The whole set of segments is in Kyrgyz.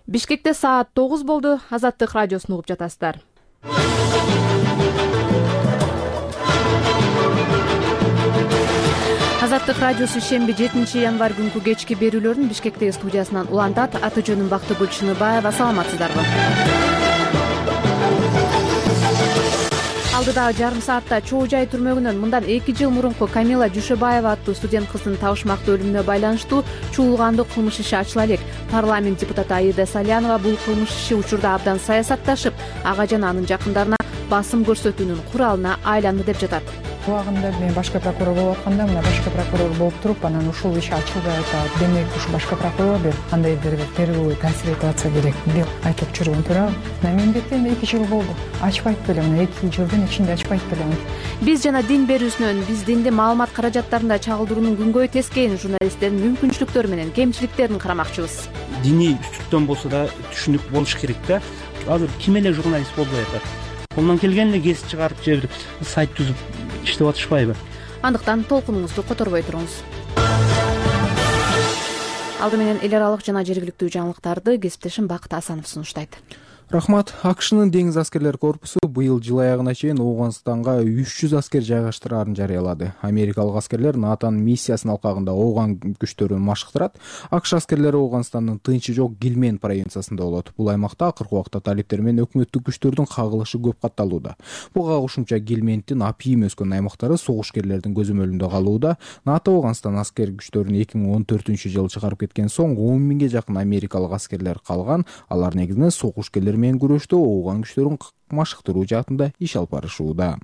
Бишкекте саат 9 болду. Азаттык радиосун угуп жатасыздар. Азаттык радиосу шемби 7 январь күнкү кечки берүүлөрүн Бишкектеги студиясынан улантат. Аты жөнүм Бактыгүл Чыныбаева. Саламатсыздарбы? Алдыдагы жарым саатта Чоо Жай түрмөгүнөн мындан 2 жыл мурунку Камила Жушебаева аттуу студент кыздын табышмактуу өлүмүнө байланыштуу чуулгандуу кылмыш иши ачыла элек. Парламент депутаты Аида Салянова бул кылмыш иши учурда абдан саясатташып, ага жана анын жакындарына басым көрсөтүүнүн куралына айланды деп жатат. Убагында мен башкы прокурор болуп атканда мына башкы прокурор болуп туруп, анан ушул иш ачылбай атат. Демек ушу башкы прокурор бир кандайдыр бир тергөө таасир этип атса керек деп айтып жүргөн турам. Мен бетте 2 жыл болду. Ачпайт белем, 2 жылдын ичинде ачпайт белем. Биз жана дин берүүсүнөн биз динди маалымат каражаттарында чагылдыруунун күнгөй тескейин журналисттердин мүмкүнчүлүктөрү менен кемчиликтерин карамакчыбыз. Диний үстүктөн болсо да түшүнүк болуш керек да. Азыр ким эле журналист болбой атат? Колунан келген эле кесип чыгарып же бир сайт түзүп иштеп атышпайбы? Андыктан толкунуңузду которбой туруңуз. Алды менен эл аралык жана жергиликтүү жаңылыктарды кесиптешим Бакыт Асанов сунуштайт. Рахмат. АКШнын деңиз аскерлер корпусу быйыл жыл аягына чейин Ооганстанга 300 аскер жайгаштыраарын жарыялады. Америкалык аскерлер НАТОнун миссиясынын алкагында Ооган күчтөрүн машыктырат. АКШ аскерлери Ооганстандын тынчы жок Гилмен провинциясында болот. Бул аймакта акыркы убакта талиптер менен өкмөттүк күчтөрдүн кагылышы көп катталууда. Буга кошумча Гилмендин апийим өскөн аймактары согушкерлердин көзөмөлүндө калууда. НАТО Ооганстан аскер күчтөрүн 2014-жылы чыгарып кеткен соң 10 миңге жакын америкалык аскерлер калган. Алар негизинен согушкерлер менен күрөштө Ооган күчтөрүн машыктыруу жаатында иш алып барышууда.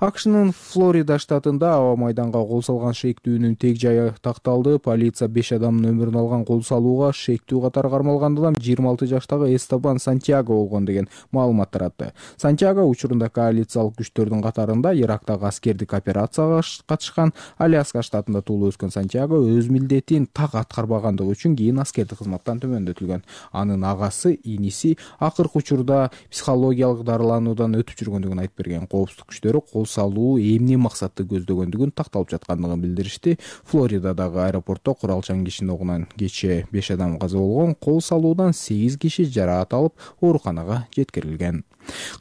АКШнын Флорида штатында аба майданга кол салган шектүүнүн тег жайы такталды. Полиция 5 адамдын өмүрүн алган кол салууга шектүү катары кармалган адам 26 жаштагы Эстебан Сантьяго болгон деген маалымат таратты. Сантьяго учурунда коалициялык күчтөрдүн катарында Ирактагы аскердик операцияга катышкан. Аляска штатында туулуп өскөн Сантьяго өз милдетин так аткарбагандыгы үчүн кийин аскердик кызматтан төмөндөтүлгөн. Анын агасы, иниси акыркы учурда психологиялык дарылануудан өтүп жүргөндүгүн айтып берген. Коопсуздук күчтөрү кол салуу эмне максатты көздөгөндүгүн такталып жаткандыгын билдиришти. Флоридадагы аэропортто куралчан кишинин огунан кечээ 5 адам каза болгон. Кол салуудан 8 киши жараат алып ооруканага жеткирилген.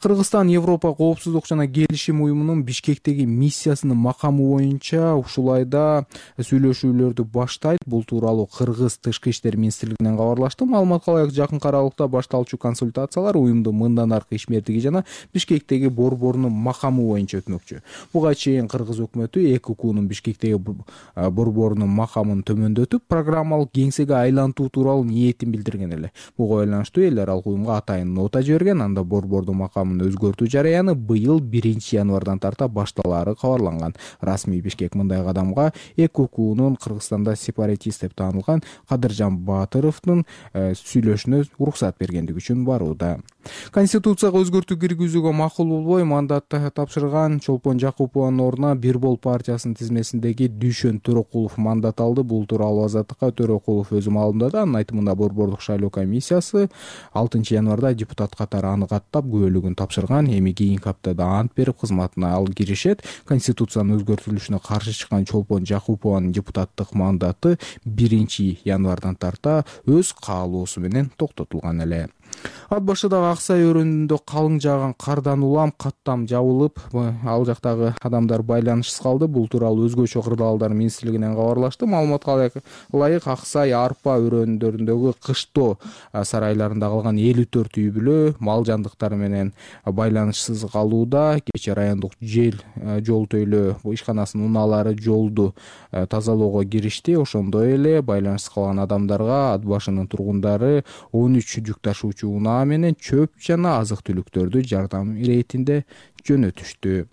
Кыргызстан Европа коопсуздук жана келишим уюмунун Бишкектеги миссиясынын макамы боюнча ушул айда сүйлөшүүлөрдү баштайт. Бул тууралуу Кыргыз Тышкы иштер министрлигинен кабарлашты. Маалыматка ылайык жакын аралыкта башталчу консультациялар уюмдун мындан аркы ишмердиги жана Бишкектеги борборунун макамы боюнча өтмөкчү. Буга чейин Кыргыз өкмөтү ЭККУнун Бишкектеги борборунун макамын төмөндөтүп, программалык кеңсеге айлантуу тууралуу ниетин билдирген эле. Буга байланыштуу эл аралык уюмга атайын нота жиберген. Анда борбордун макамын өзгөртүү жараяны быйыл 1 январдан тарта башталаары кабарланган. Расмий Бишкек мындай кадамга ЭККУнун Кыргызстанда сепаратист деп таанылган Кадыржан Баатыровдун сүйлөшүнө уруксат бергендиги үчүн барууда. Конституцияга өзгөртүү киргизүүгө макул болбой мандатты тапшырган Чолпон Жакупованын ордуна Бир-бол партиясынын тизмесиндеги Дүйшөн Төрөкулов мандат алды. Бул тууралуу Азаттыкка Төрөкулов өзү маалымдады. Анын айтымында борбордук шайлоо комиссиясы 6 январда депутат катары аны каттап күбөлүгүн тапшырган. Эми кийинки аптада ант берип кызматына ал киришет. Конституциянын өзгөртүлүшүнө каршы чыккан Чолпон Жакупованын депутаттык мандаты 1 январдан тарта өз каалоосу менен токтотулган эле. Ат башыдагы Аксай өрөөнүндө калың жааган кардан улам каттам жабылып, ал жактагы адамдар байланышсыз калды. Бул тууралуу өзгөчө кырдаалдар министрлигинен кабарлашты. Маалыматка ылайык Аксай, Арпа өрөөндөрүндөгү кыштоо сарайларында калган 54 үй бүлө мал жандыктары менен байланышсыз калууда. Кечээ райондук жол төйлөө ишканасынын унаалары жолду тазалоого киришти. Ошондой эле байланышсыз калган адамдарга ат башынын тургундары 13 жүк ташуучу унаа менен чөп жана азык-түлүктөрдү жардам иретинде жөнөтүштү.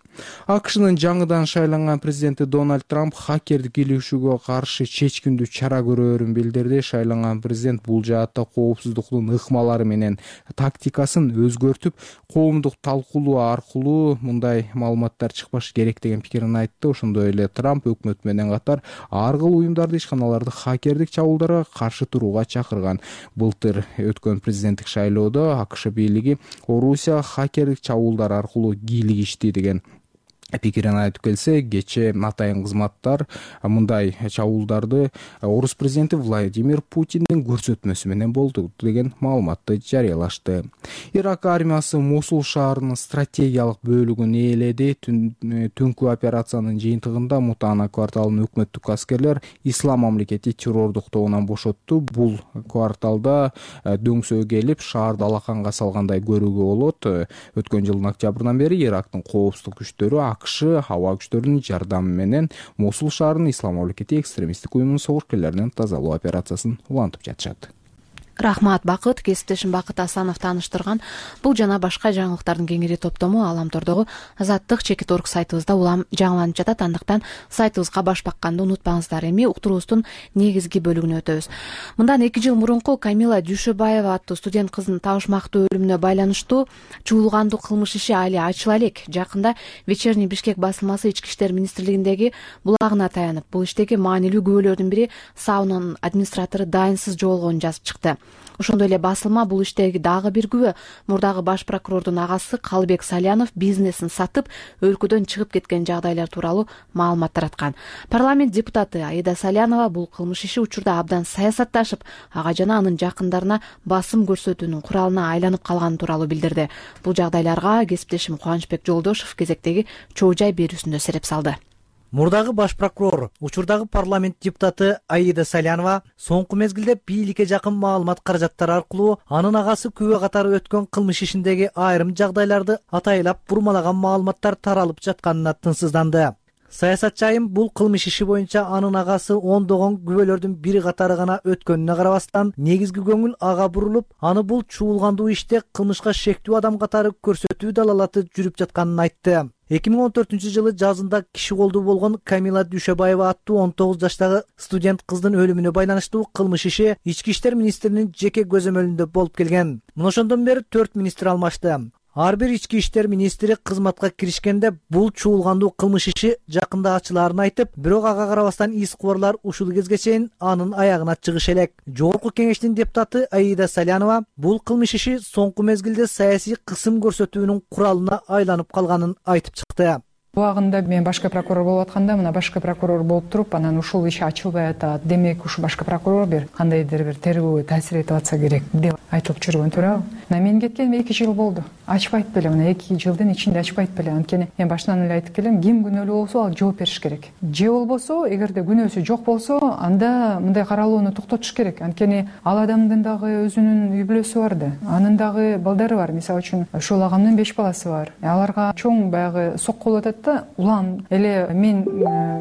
АКШнын жаңыдан шайланган президенти Дональд Трамп хакердик илишүүгө каршы чечкиндүү чара көрөөрүн билдирди. Шайланган президент бул жаатта коопсуздуктун ыкмалары менен тактикасын өзгөртүп, коомдук талкуулоо аркылуу мындай маалыматтар чыкпаш керек деген пикирин айтты. Ошондой эле Трамп өкмөт менен катар ар кыл уюмдарды, ишканаларды хакердик чабуулдарга каршы турууга чакырган. Былтыр өткөн президенттик шайлоодо АКШ бийлиги Орусия хакердик чабуулдар аркылуу кийлигишти деген пикирин айтып келсе, кечээ атайын кызматтар мындай чабуулдарды орус президенти Владимир Путиндин көрсөтмөсү менен болду деген маалыматты жарыялашты. Ирак армиясы Мосул шаарынын стратегиялык бөлүгүн ээледи. Түнкү операциянын жыйынтыгында Мутана кварталын өкмөттүк аскерлер Ислам мамлекети террордук тобунан бошотту. Бул кварталда дөңсөө келип, шаарды алаканга салгандай көрүүгө болот. Өткөн жылдын октябрынан бери Ирактын коопсуздук күчтөрү АКШ аба күчтөрүнүн жардамы менен Мосул шаарынын Ислам мамлекети экстремисттик уюмунун согушкерлеринен тазалоо операциясын улантып жатышат. Рахмат Бакыт. Кесиптешим Бакыт Асанов тааныштырган бул жана башка жаңылыктардын кеңири топтому Аламтордогу Азаттык чекит орг сайтыбызда улам жаңыланып жатат. Андыктан сайтыбызга баш бакканды унутпаңыздар. Эми уктуруубуздун негизги бөлүгүнө өтөбүз. Мындан 2 жыл мурунку Камила Дүйшөбаева аттуу студент кыздын табышмактуу өлүмүнө байланыштуу чуулгандуу кылмыш иши али ачыла элек. Жакында Вечерний Бишкек басылмасы Ички иштер министрлигиндеги булагына таянып, бул иштеги маанилүү күбөлөрдүн бири саунанын администратору дайынсыз жоголгонун жазып чыкты. Ошондой эле басылма бул иштеги дагы бир күбө мурдагы баш прокурордун агасы Калыбек Салянов бизнесин сатып өлкөдөн чыгып кеткен жагдайлар тууралуу маалымат тараткан. Парламент депутаты Аида Салянова бул кылмыш иши учурда абдан саясатташып, ага жана анын жакындарына басым көрсөтүүнүн куралына айланып калганы тууралуу билдирди. Бул жагдайларга кесиптешим Кубанычбек Жолдошов кезектеги чоо жай берүүсүндө сереп салды. Мурдагы баш прокурор, учурдагы парламент депутаты Аида Салянова соңку мезгилде бийликке жакын маалымат каражаттары аркылуу анын агасы күбө катары өткөн кылмыш ишиндеги айрым жагдайларды атайлап бурмалаган маалыматтар таралып жатканына тынчсызданды. Саясатчы айым бул кылмыш иши боюнча анын агасы ондогон күбөлөрдүн бири катары гана өткөнүнө карабастан, негизги көңүл ага бурулуп, аны бул чуулгандуу иште кылмышка шектүү адам катары көрсөтүү далалаты жүрүп жатканын айтты. 2014 жылы жазында киши колдуу болгон Камила Дүйшөбаева аттуу 19 жаштагы студент кыздын өлүмүнө байланыштуу кылмыш иши Ички иштер министринин жеке көзөмөлүндө болуп келген. Мына ошондон бери 4 министр алмашты. Ар бир ички иштер министри кызматка киришкенде бул чуулгандуу кылмыш иши жакында ачылаарын айтып, бирок ага карабастан ис кубарлар ушул кезге чейин анын аягына чыгыш элек. Жогорку кеңештин депутаты Аида Салянова бул кылмыш иши соңку мезгилде саясий кысым көрсөтүүнүн куралына айланып калганын айтып чыкты. Убагында мен башкы прокурор болуп атканда, мына башкы прокурор болуп туруп, анан ушул иш ачылбай атат. Демек, ушу башкы прокурор бир кандайдыр бир тергөөгө таасир этип атса керек деп айтылып жүргөн туурабы. Мына мен кеткениме 2 жыл болду. Ачпайт беле, мына 2 жылдын ичинде ачпайт беле. Анткени мен башынан эле айтып келем, ким күнөөлүү болсо ал жооп бериш керек. Же болбосо, эгерде күнөөсү жок болсо, анда мындай каралууну токтотуш керек. Анткени ал адамдын дагы өзүнүн үй бүлөсү бар да, анын дагы балдары бар. Мисалы үчүн, ушул агамдын 5 баласы бар. Аларга чоң баягы сокку болуп атат. Улам эле мен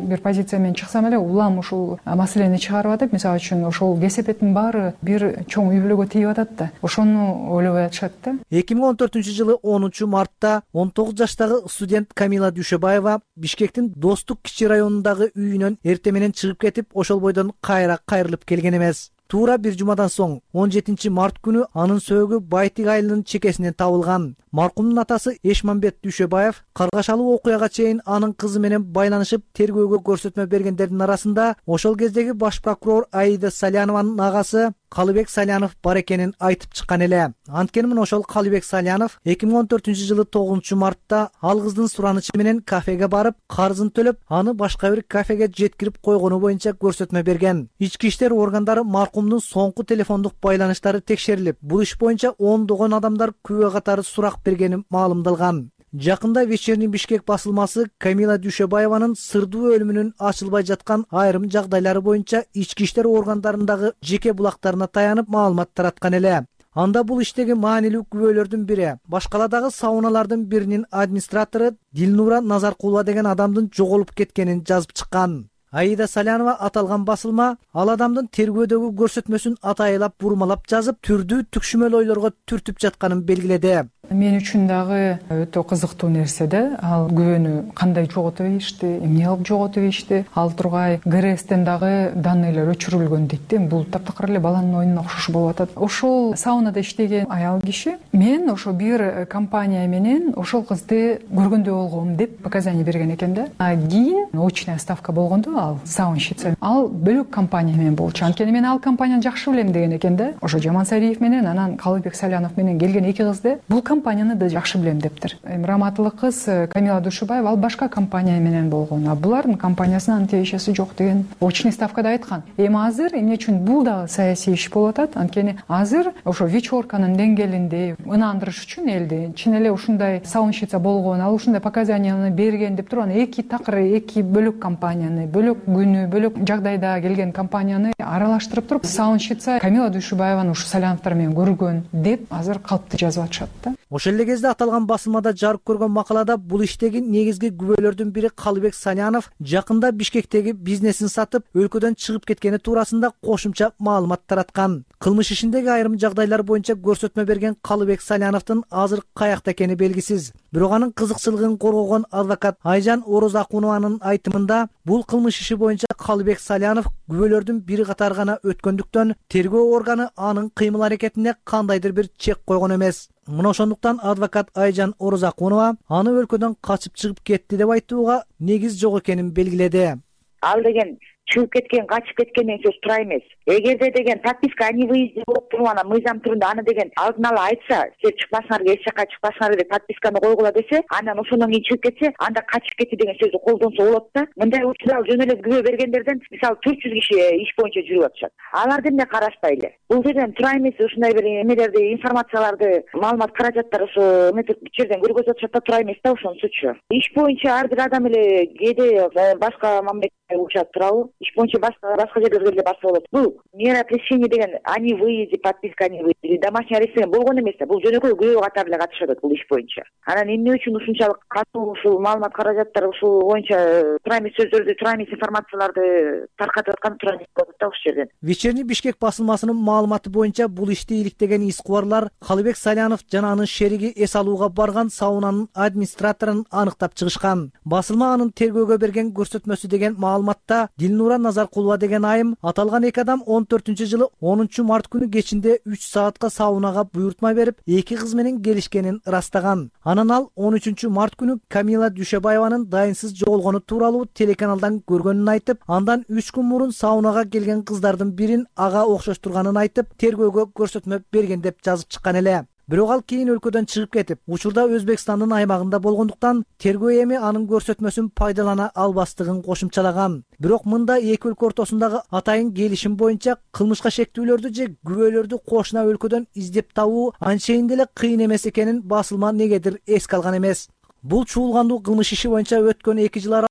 бир позиция менен чыксам эле улам ушул маселени чыгарып атып, мисалы үчүн ошол кесепеттин баары бир чоң үй бүлөгө тийип атат да. Ошону ойлобой атышат да. 2014 жылы 10 мартта 19 жаштагы студент Камила Дүйшөбаева Бишкектин Достук кичи районундагы үйүнөн эртең менен чыгып кетип, ошол бойдон кайра кайрылып келген эмес. Туура бир жумадан соң 17 март күнү анын сөөгү Байтик айылынын чекесинен табылган. Маркумдун атасы Эшмамбет Дүйшөбаев каргашалуу окуяга чейин анын кызы менен байланышып тергөөгө көрсөтмө бергендердин арасында ошол кездеги баш прокурор Аида Салянованын агасы Калыбек Салянов бар экенин айтып чыккан эле. Анткени мына ошол Калыбек Салянов 2014 жылы 9 мартта ал кыздын суранычы менен кафеге барып, карызын төлөп, аны башка бир кафеге жеткирип койгону боюнча көрсөтмө берген. Ички иштер органдары маркумдун соңку телефондук байланыштары текшерилип, бул иш боюнча ондогон адамдар күбө катары сурак бергени маалымдалган. Жакында Вечерний Бишкек басылмасы Камила Дүйшөбаеванын сырдуу өлүмүнүн ачылбай жаткан айрым жагдайлары боюнча ички иштер органдарындагы жеке булактарына таянып маалымат тараткан эле. Анда бул иштеги маанилүү күбөлөрдүн бири башкаладагы сауналардын биринин администратору Дилнура Назаркулова деген адамдын жоголуп кеткенин жазып чыккан. Аида Салянова аталган басылма ал адамдын тергөөдөгү көрсөтмөсүн атайлап бурмалап жазып, түрдүү түкшүмөл ойлорго түртүп жатканын белгиледи. Мен үчүн дагы өтө кызыктуу нерсе да, ал күбөнү кандай жоготуп ийишти, эмне кылып жоготуп ийишти. Ал тургай ГРСтен дагы данныйлар өчүрүлгөн дейт да. Бул таптакыр эле баланын оюнуна окшош болуп атат. Ошол саунада иштеген аял киши мен ошо бир компания менен ошол кызды көргөндөй болгом деп показания берген экен да. Кийин очная ставка болгондо ал саунщица ал бөлөк компания менен болчу. Анткени мен ал компанияны жакшы билем деген экен да. Ошо Жамансариев менен анан Калыбек Салянов менен келген 2 кызды бул компанияны да жакшы билем дептир. Эми раматтылык кыз Камила Душебаева ал башка компания менен болгон, а булардын компаниясына анын тиешеси жок деген очный ставкада айткан. Эми азыр эмне үчүн бул дагы саясий иш болуп атат? Анткени азыр ошо вечерканын деңгээлинде ынандырыш үчүн элди чын эле ушундай салымчыца болгон, ал ушундай показанияны берген деп туруп анан эки такыр, эки бөлөк компанияны, бөлөк күнү, бөлөк жагдайда келген компанияны аралаштырып туруп салымчыца Камила Душебаеваны ушу Саляновдор менен көргөн деп азыр калпты жазып атышат да. Ошол эле кезде аталган басылмада жарык көргөн макалада бул иштеги негизги күбөлөрдүн бири Калыбек Салянов жакында Бишкектеги бизнесин сатып өлкөдөн чыгып кеткени туурасында кошумча маалымат тараткан. Кылмыш ишиндеги айрым жагдайлар боюнча көрсөтмө берген Калыбек Саляновдун азыр каякта экени белгисиз. Бирок анын кызыкчылыгын коргогон адвокат Айжан Орозакунованын айтымында бул кылмыш иши боюнча Калыбек Салянов күбөлөрдүн бири катары гана өткөндүктөн тергөө органы анын кыймыл аракетине кандайдыр бир чек койгон эмес. Мына ошондуктан адвокат Айжан Орозакунова аны өлкөдөн качып чыгып кетти деп айтууга негиз жок экенин белгиледи. Ал деген чыгып кеткен, качып кеткен деген сөз туура эмес. Эгерде деген подписка они выезде болуп туруп анан мыйзам түрүндө аны деген алдын ала айтса, силер чыкпасыңар, эч жака чыкпасыңар деп подписканы койгула десе, анан ошондон кийин чыгып кетсе, анда качып кетти деген сөздү колдонсо болот да. Мындай учурда жөн эле күбө бергендерден мисалы 400 киши иш боюнча жүрүп атышат. Аларды эмне карашпайлы? Бул жерден туура эмес ушундай бир эмелерди, информацияларды, маалымат каражаттары ошо эметип жерден көргөзүп атышат да, туура эмес да ошонусучу. Иш боюнча ар бир адам эле кээде башка мамлекетке учат турабы? Иш боюнча башка жерлерге эле барса болот. Бул мера пресечения деген они выезде, подписка они выезде, домашний арест деген болгон эмес да. Бул жөнөкөй күбө катары эле катышат бул иш боюнча. Анан эмне үчүн ушунчалык катуу ушул маалымат каражаттары ушул боюнча туура эмес сөздөрдү, туура эмес информацияларды таркатып аткан туура эмес болот да ушул жерден. Вечерний Бишкек басылмасынын маалыматы боюнча бул ишти иликтеген искубарлар Калыбек Салянов жана анын шериги эс алууга барган саунанын администраторун аныктап чыгышкан. Басылма анын тергөөгө берген көрсөтмөсү деген маалыматта Дилнура Назаркулова деген айым аталган эки адам 14-жылы 10 март күнү кечинде 3 саатка саунага буйртма берип, эки кыз менен келишкенин ырастаган. Анан ал 13 март күнү Камила Душебаеванын дайынсыз жоголгону тууралуу телеканалдан көргөнүн айтып, андан 3 күн мурун саунага келген кыздардын бирин ага окшоштурганын айтып, тергөөгө көрсөтмө берген деп жазып чыккан эле. Бирок ал кийин өлкөдөн чыгып кетип, учурда Өзбекстандын аймагында болгондуктан тергөө эми анын көрсөтмөсүн пайдалана албастыгын кошумчалаган. Бирок мында эки өлкө ортосундагы атайын келишим боюнча кылмышка шектүүлөрдү же күбөлөрдү кошуна өлкөдөн издеп табуу анчейин деле кыйын эмес экенин басылма негедир эске алган эмес. Бул чуулгандуу кылмыш иши боюнча өткөн 2 жыл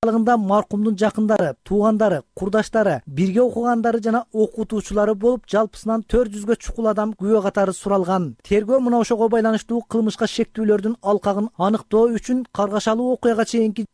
аралыгында маркумдун жакындары, туугандары, курдаштары, бирге окугандары жана окутуучулары болуп, жалпысынан 400гө чукул адам күбө катары суралган. Тергөө мына ошого байланыштуу кылмышка шектүүлөрдүн алкагын аныктоо үчүн каргашалуу окуяга чейинки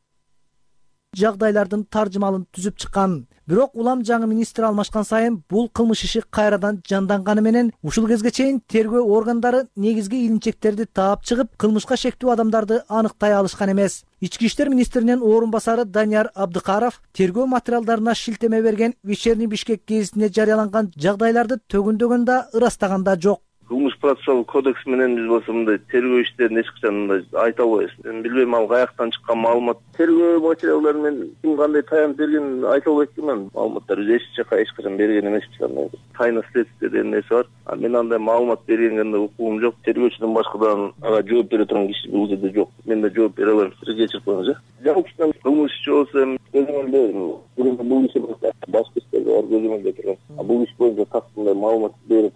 жагдайлардын таржымалын түзүп чыккан. Бирок улам жаңы министр алмашкан сайын бул кылмыш иши кайрадан жанданганы менен ушул кезге чейин тергөө органдары негизги илинчектерди таап чыгып, кылмышка шектүү адамдарды аныктай алышкан эмес. Ички иштер министринин орун басары Данияр Абдыкаров тергөө материалдарына шилтеме берген Вечерний Бишкек гезитинде жарыяланган жагдайларды төгүндөгөн да, ырастаган да жок. Кылмыш процессуалдык кодекс менен биз болсо мындай тергөө иштерин эч качан мындай айта албайбыз. Мен билбейм ал каяктан чыккан маалымат. Тергөө материалдары менен ким кандай таянып берген айта албайт элем. Маалыматтар эч жака эч качан берген эмеспиз андай. Тайна следствие деген нерсе бар. Мен андай маалымат бергенде укугум жок. Тергөөчүдөн башкадан ага жооп бере турган киши бул жерде жок. Мен да жооп бере албайм. Сиз кечирип коюңуз, жалпысынан кылмыш иши болсо көзөмөлдө бул иши башка иштерде бар көзөмөлдө турган. Бул иш боюнча кандай маалымат берип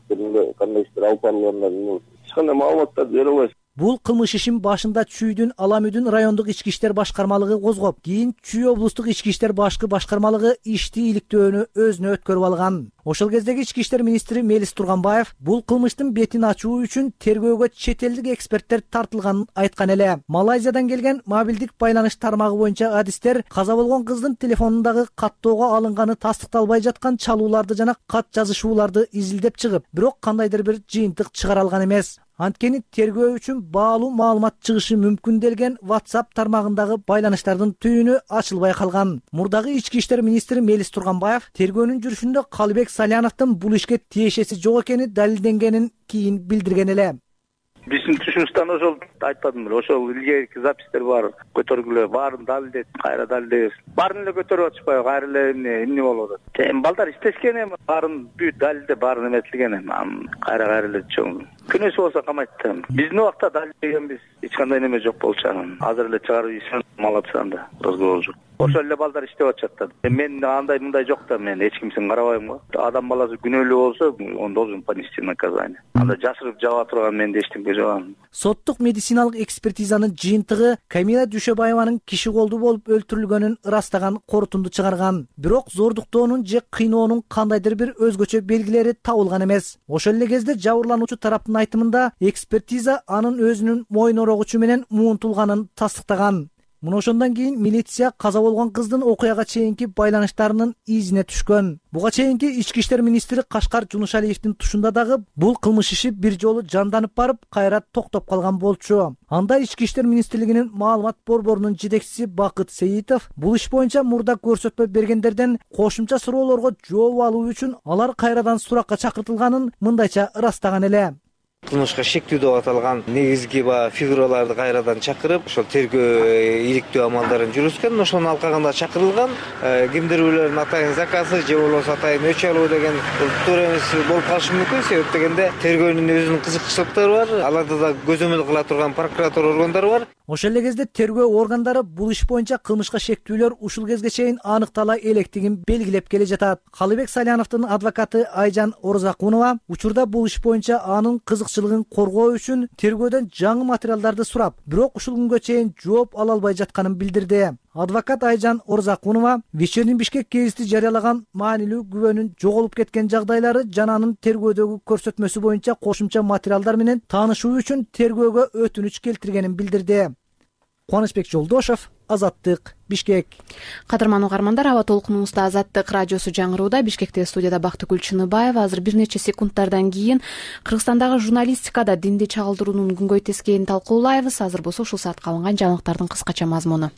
кандай иштер алып барылганын эч кандай маалыматтарды бере албайсыз. Бул кылмыш ишин башында Чүйдүн Аламүдүн райондук ички иштер башкармалыгы козгоп, кийин Чүй облустук ички иштер башкы башкармалыгы ишти иликтөөнү өзүнө өткөрүп алган. Ошол кездеги ички иштер министри Мелис Турганбаев бул кылмыштын бетин ачуу үчүн тергөөгө чет элдик эксперттер тартылганын айткан эле. Малайзиядан келген мобилдик байланыш тармагы боюнча адистер каза болгон кыздын телефонундагы каттоого алынганы тастыкталбай жаткан чалууларды жана кат жазышууларды изилдеп чыгып, бирок кандайдыр бир жыйынтык чыгара алган эмес. Анткени тергөө үчүн баалуу маалымат чыгышы мүмкүн делген WhatsApp тармагындагы байланыштардын түйүнү ачылбай калган. Мурдагы ички иштер министри Мелис Турганбаев тергөөнүн жүрүшүндө Калыбек Саляновдун бул ишке тиешеси жок экени далилденгенин кийин билдирген эле. Биздин түшүнүштөн ошол айтпадым беле, ошол илгерки запистер бар, көтөргүлө баарын далилдейт, кайра далилдейбиз. Баарын эле көтөрүп атышпайбы, кайра эле эмне болуп атат. Балдар иштешкен эми, баарын бүт далилде баарын эметилген эми, кайра эле чоң күнөөсү болсо камайт да. Биздин убакта далилдегенбиз, эч кандай неме жок болчу. Азыр эле чыгарып ийишен молодцы анда, разговор жок. Ошол эле балдар иштеп атышат да. Мен андай мындай жок да, мен эч кимсин карабайм го. Адам баласы күнөөлүү болсо, он должен понести наказание. Анда жашырып жаба турган менде эчтеке жок. Соттук медициналык экспертизанын жыйынтыгы Камила Дүйшөбаеванын киши колдуу болуп өлтүрүлгөнүн ырастаган корутунду чыгарган. Бирок зордуктоонун же кыйноонун кандайдыр бир өзгөчө белгилери табылган эмес. Ошол эле кезде жабырлануучу тараптын айтымында экспертиза анын өзүнүн мойын орогучу менен муунтулганын тастыктаган. Мына ошондон кийин милиция каза болгон кыздын окуяга чейинки байланыштарынын изине түшкөн. Буга чейинки ички иштер министри Кашкар Жунушалиевдин тушунда дагы бул кылмыш иши бир жолу жанданып барып, кайра токтоп калган болчу. Анда ички иштер министрлигинин маалымат борборунун жетекчиси Бакыт Сейитов бул иш боюнча мурда көрсөтмө бергендерден кошумча суроолорго жооп алуу үчүн алар кайрадан суракка чакыртылганын мындайча ырастаган эле. Кылмышка шектүү деп аталган негизги фигураларды кайрадан чакырып, ошол тергөө иликтөө амалдарын жүргүзгөн. Ошонун алкагында чакырылган кимдир бирлердин атайын заказы же болбосо атайын өч алуу деген туура эмес болуп калышы мүмкүн. Себеп дегенде тергөөнүн өзүнүн кызыкчылыктары бар, аларда да көзөмөл кыла турган прокуратура органдары бар. Ошол эле кезде тергөө органдары бул иш боюнча кылмышка шектүүлөр ушул кезге чейин аныктала электигин белгилеп келе жатат. Калыбек Саляновдун адвокаты Айжан Орзакунова учурда бул иш боюнча анын кызыкчылыгын коргоо үчүн тергөөдөн жаңы материалдарды сурап, бирок ушул күнгө чейин жооп ала албай жатканын билдирди. Адвокат Айжан Орзакунова Вечерний Бишкек гезити жарыялаган маанилүү күбөнүн жоголуп кеткен жагдайлары жана анын тергөөдөгү көрсөтмөсү боюнча кошумча материалдар менен таанышуу үчүн тергөөгө өтүнүч келтиргенин билдирди. Кубанычбек Жолдошов, Азаттык, Бишкек. Кадырман угармандар, аба толкунубузда Азаттык радиосу жаңырууда. Бишкекте студияда Бактыгүл Чыныбаева. Азыр бир нече секундтардан кийин Кыргызстандагы журналистикада динди чагылдыруунун күнгөй тескейин талкуулайбыз. Азыр болсо ушул саатка алынган жаңылыктардын кыскача мазмуну.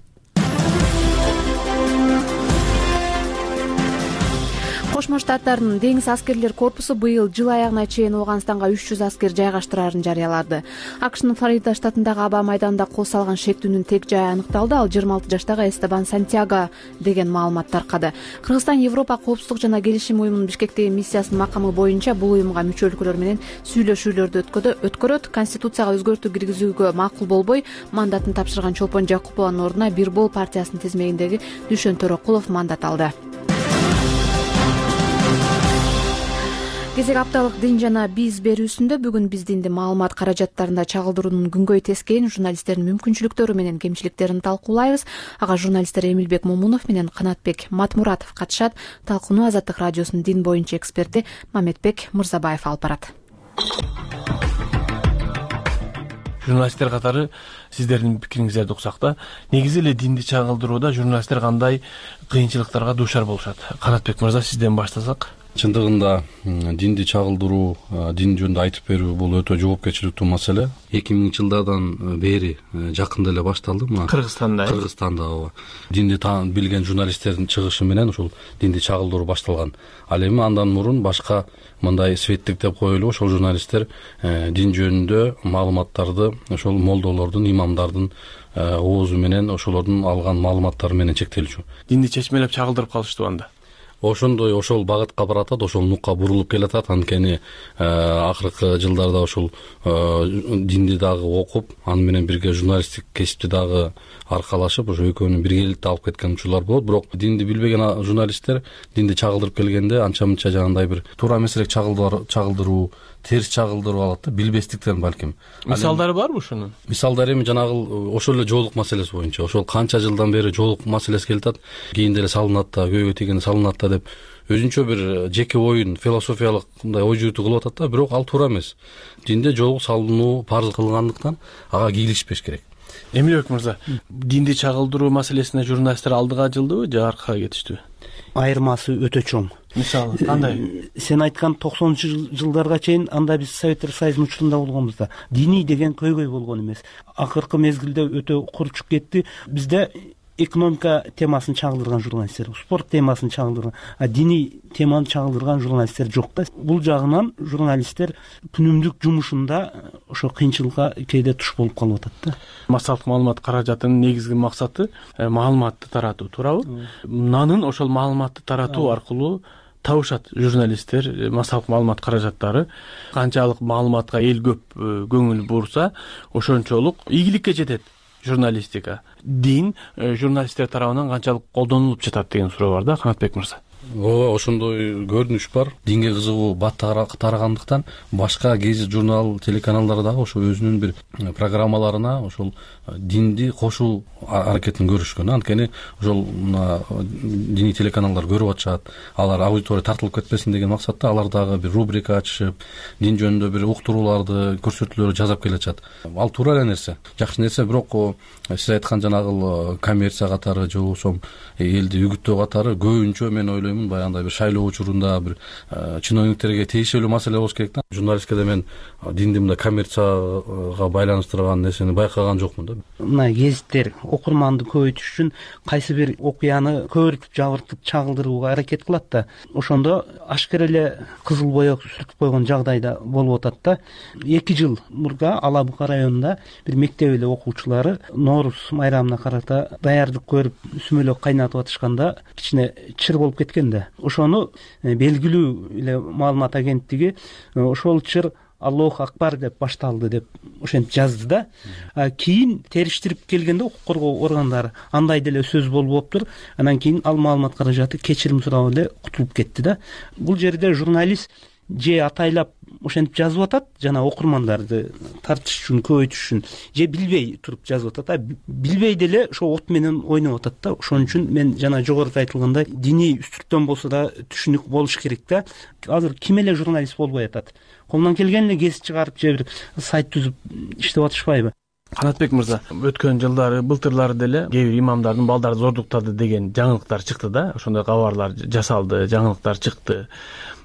Кошмо Штаттардын деңиз аскерлер корпусу быйыл жыл аягына чейин Ооганстанга 300 аскер жайгаштырарын жарыялады. АКШнын Флорида штатындагы аба майданында кол салган шектүүнүн тег жайы аныкталды. Ал 26 жаштагы Эстебан Сантьяго деген маалымат таркады. Кыргызстан Европа коопсуздук жана келишим уюмунун Бишкектеги миссиясынын макамы боюнча бул уюмга мүчө өлкөлөр менен сүйлөшүүлөрдү өткөрөт. Конституцияга өзгөртүү киргизүүгө макул болбой, мандатын тапшырган Чолпон Жакупованын ордуна Бир Бол партиясынын тизмегиндеги Дүйшөн Төрөкулов мандат алды. Кезек апталык дин жана биз берүүсүндө бүгүн биз динди маалымат каражаттарында чагылдыруунун күнгөй тескейин, журналисттердин мүмкүнчүлүктөрү менен кемчиликтерин талкуулайбыз. Ага журналисттер Эмилбек Момунов менен Канатбек Матмуратов катышат. Талкууну Азаттык радиосунун дин боюнча эксперти Мамедбек Мырзабаев алып барат. Журналисттер катары сиздердин пикириңиздерди уксак да, негизи эле динди чагылдырууда журналисттер кандай кыйынчылыктарга дуушар болушат? Канатбек мырза, сизден баштасак. Чындыгында динди чагылдыруу, дин жөнүндө айтып берүү бул өтө жоопкерчиликтүү маселе. 2000 жылдардан бери жакында эле башталды мына Кыргызстанда. Ооба. Динди билген журналисттердин чыгышы менен ушул динди чагылдыруу башталган. Ал эми андан мурун башка мындай светтик деп коелу, ошол журналисттер дин жөнүндө маалыматтарды ошол молдолордун, имамдардын оозу менен ошолордун алган маалыматтары менен чектелчү. Динди чечмелеп чагылдырып калыштуу анда. Ошондой ошол багытка баратат, ошол нукка бурулуп келатат. Анткени акыркы жылдарда ошол динди дагы окуп, аны менен бирге журналисттик кесипти дагы аркалашып, ошо экөөнү биргеликте алып кеткен учурлар болот. Бирок динди билбеген журналисттер динди чагылдырып келгенде анча-мынча жанагындай бир туура эмес элек чагылдыруу, терс чагылдырып алат да, билбестиктен балким. Мисалдары барбы ушунун? Мисалдары эми жанагы ошол эле жоолук маселеси боюнча, ошол канча жылдан бери жоолук маселеси келатат. Кийинде эле салынат да, көйгөй тийгенде салынат да деп өзүнчө бир жеке оюн, философиялык мындай ой жүгүтүү кылып атат да, бирок ал туура эмес. Динде жоолук салынуу парыз кылгандыктан ага кийлишпеш керек. Эмилбек мырза, динди чагылдыруу маселесине журналисттер алдыга жылдыбы же аркага кетиштиби? Айырмасы өтө чоң. Мисалы кандай? Сен айткан 90-жылдарга чейин анда биз Советтер Союзунун учурунда болгонбуз да. Диний деген көйгөй болгон эмес. Акыркы мезгилде өтө курчуп кетти. Бизде экономика темасын чагылдырган журналисттер, спорт темасын чагылдырган, диний теманы чагылдырган журналисттер жок да. Бул жагынан журналисттер күнүмдүк жумушунда ошо кыйынчылыкка кээде туш болуп калып атат да. Массалык маалымат каражатынын негизги максаты маалыматты таратуу, туурабы? Нанын ошол маалыматты таратуу аркылуу табышат журналисттер, массалык маалымат каражаттары канчалык маалыматка эл көп көңүл бурса ошончолук ийгиликке жетет журналистика. Дин журналисттер тарабынан канчалык колдонулуп жатат деген суроо бар да, Канатбек мырза. Ооба, ошондой көрүнүш бар. Динге кызыгуу бат тарагандыктан башка гезит, журнал, телеканалдар дагы ошо өзүнүн бир программаларына ошол динди кошуу аракетин көрүшкөн. Анткени ошол диний телеканалдар көрүп атышат, алар аудитория тартылып кетпесин деген максатта алар дагы бир рубрика ачышып, дин жөнүндө бир уктурууларды, көрсөтүүлөрдү жасап келатышат. Ал туура эле нерсе, жакшы нерсе, бирок сиз айткан жанагы коммерция катары же болбосо элди үгүттөө катары көбүнчө мен ойлойм баягындай бир шайлоо учурунда бир чиновниктерге тийиштүү маселе болуш керек да. Журналисткада мен динди мындай коммерцияга байланыштырган нерсени байкаган жокмун да. Мына гезиттер окурманды көбөйтүш үчүн кайсы бир окуяны көбүртүп жабыртып чагылдырууга аракет кылат да, ошондо ашкер эле кызыл боек сүртүп койгон жагдайда болуп атат да. 2 жыл мурда Ала Бука районунда бир мектеп эле окуучулары Нооруз майрамына карата даярдык көрүп сүмөлөк кайнатып атышканда кичине чыр болуп кеткен да. Ошону белгилүү эле маалымат агенттиги ошол чыр Аллох акбар деп башталды деп ошентип жазды да. Кийин териштирип келгенде укук коргоо органдары андай деле сөз болуптур. Анан кийин ал маалымат каражаты кечирим сурап эле кутулуп кетти да. Бул жерде журналист же атайлап ошентип жазып атат, жана окурмандарды тартыш үчүн, көбөйтүш үчүн, же билбей туруп жазып атат. Билбей деле ошо от менен ойноп атат да. Ошон үчүн мен жана жогоруда айтылгандай диний үстүрттөн болсо да түшүнүк болуш керек да. Азыр ким эле журналист болбой атат? Колунан келген эле гезит чыгарып же бир сайт түзүп иштеп атышпайбы? Канатбек мырза, өткөн жылдары, былтырлары деле кээ бир имамдардын балдары зордуктады деген жаңылыктар чыкты да. Ошондой кабарлар жасалды, жаңылыктар чыкты.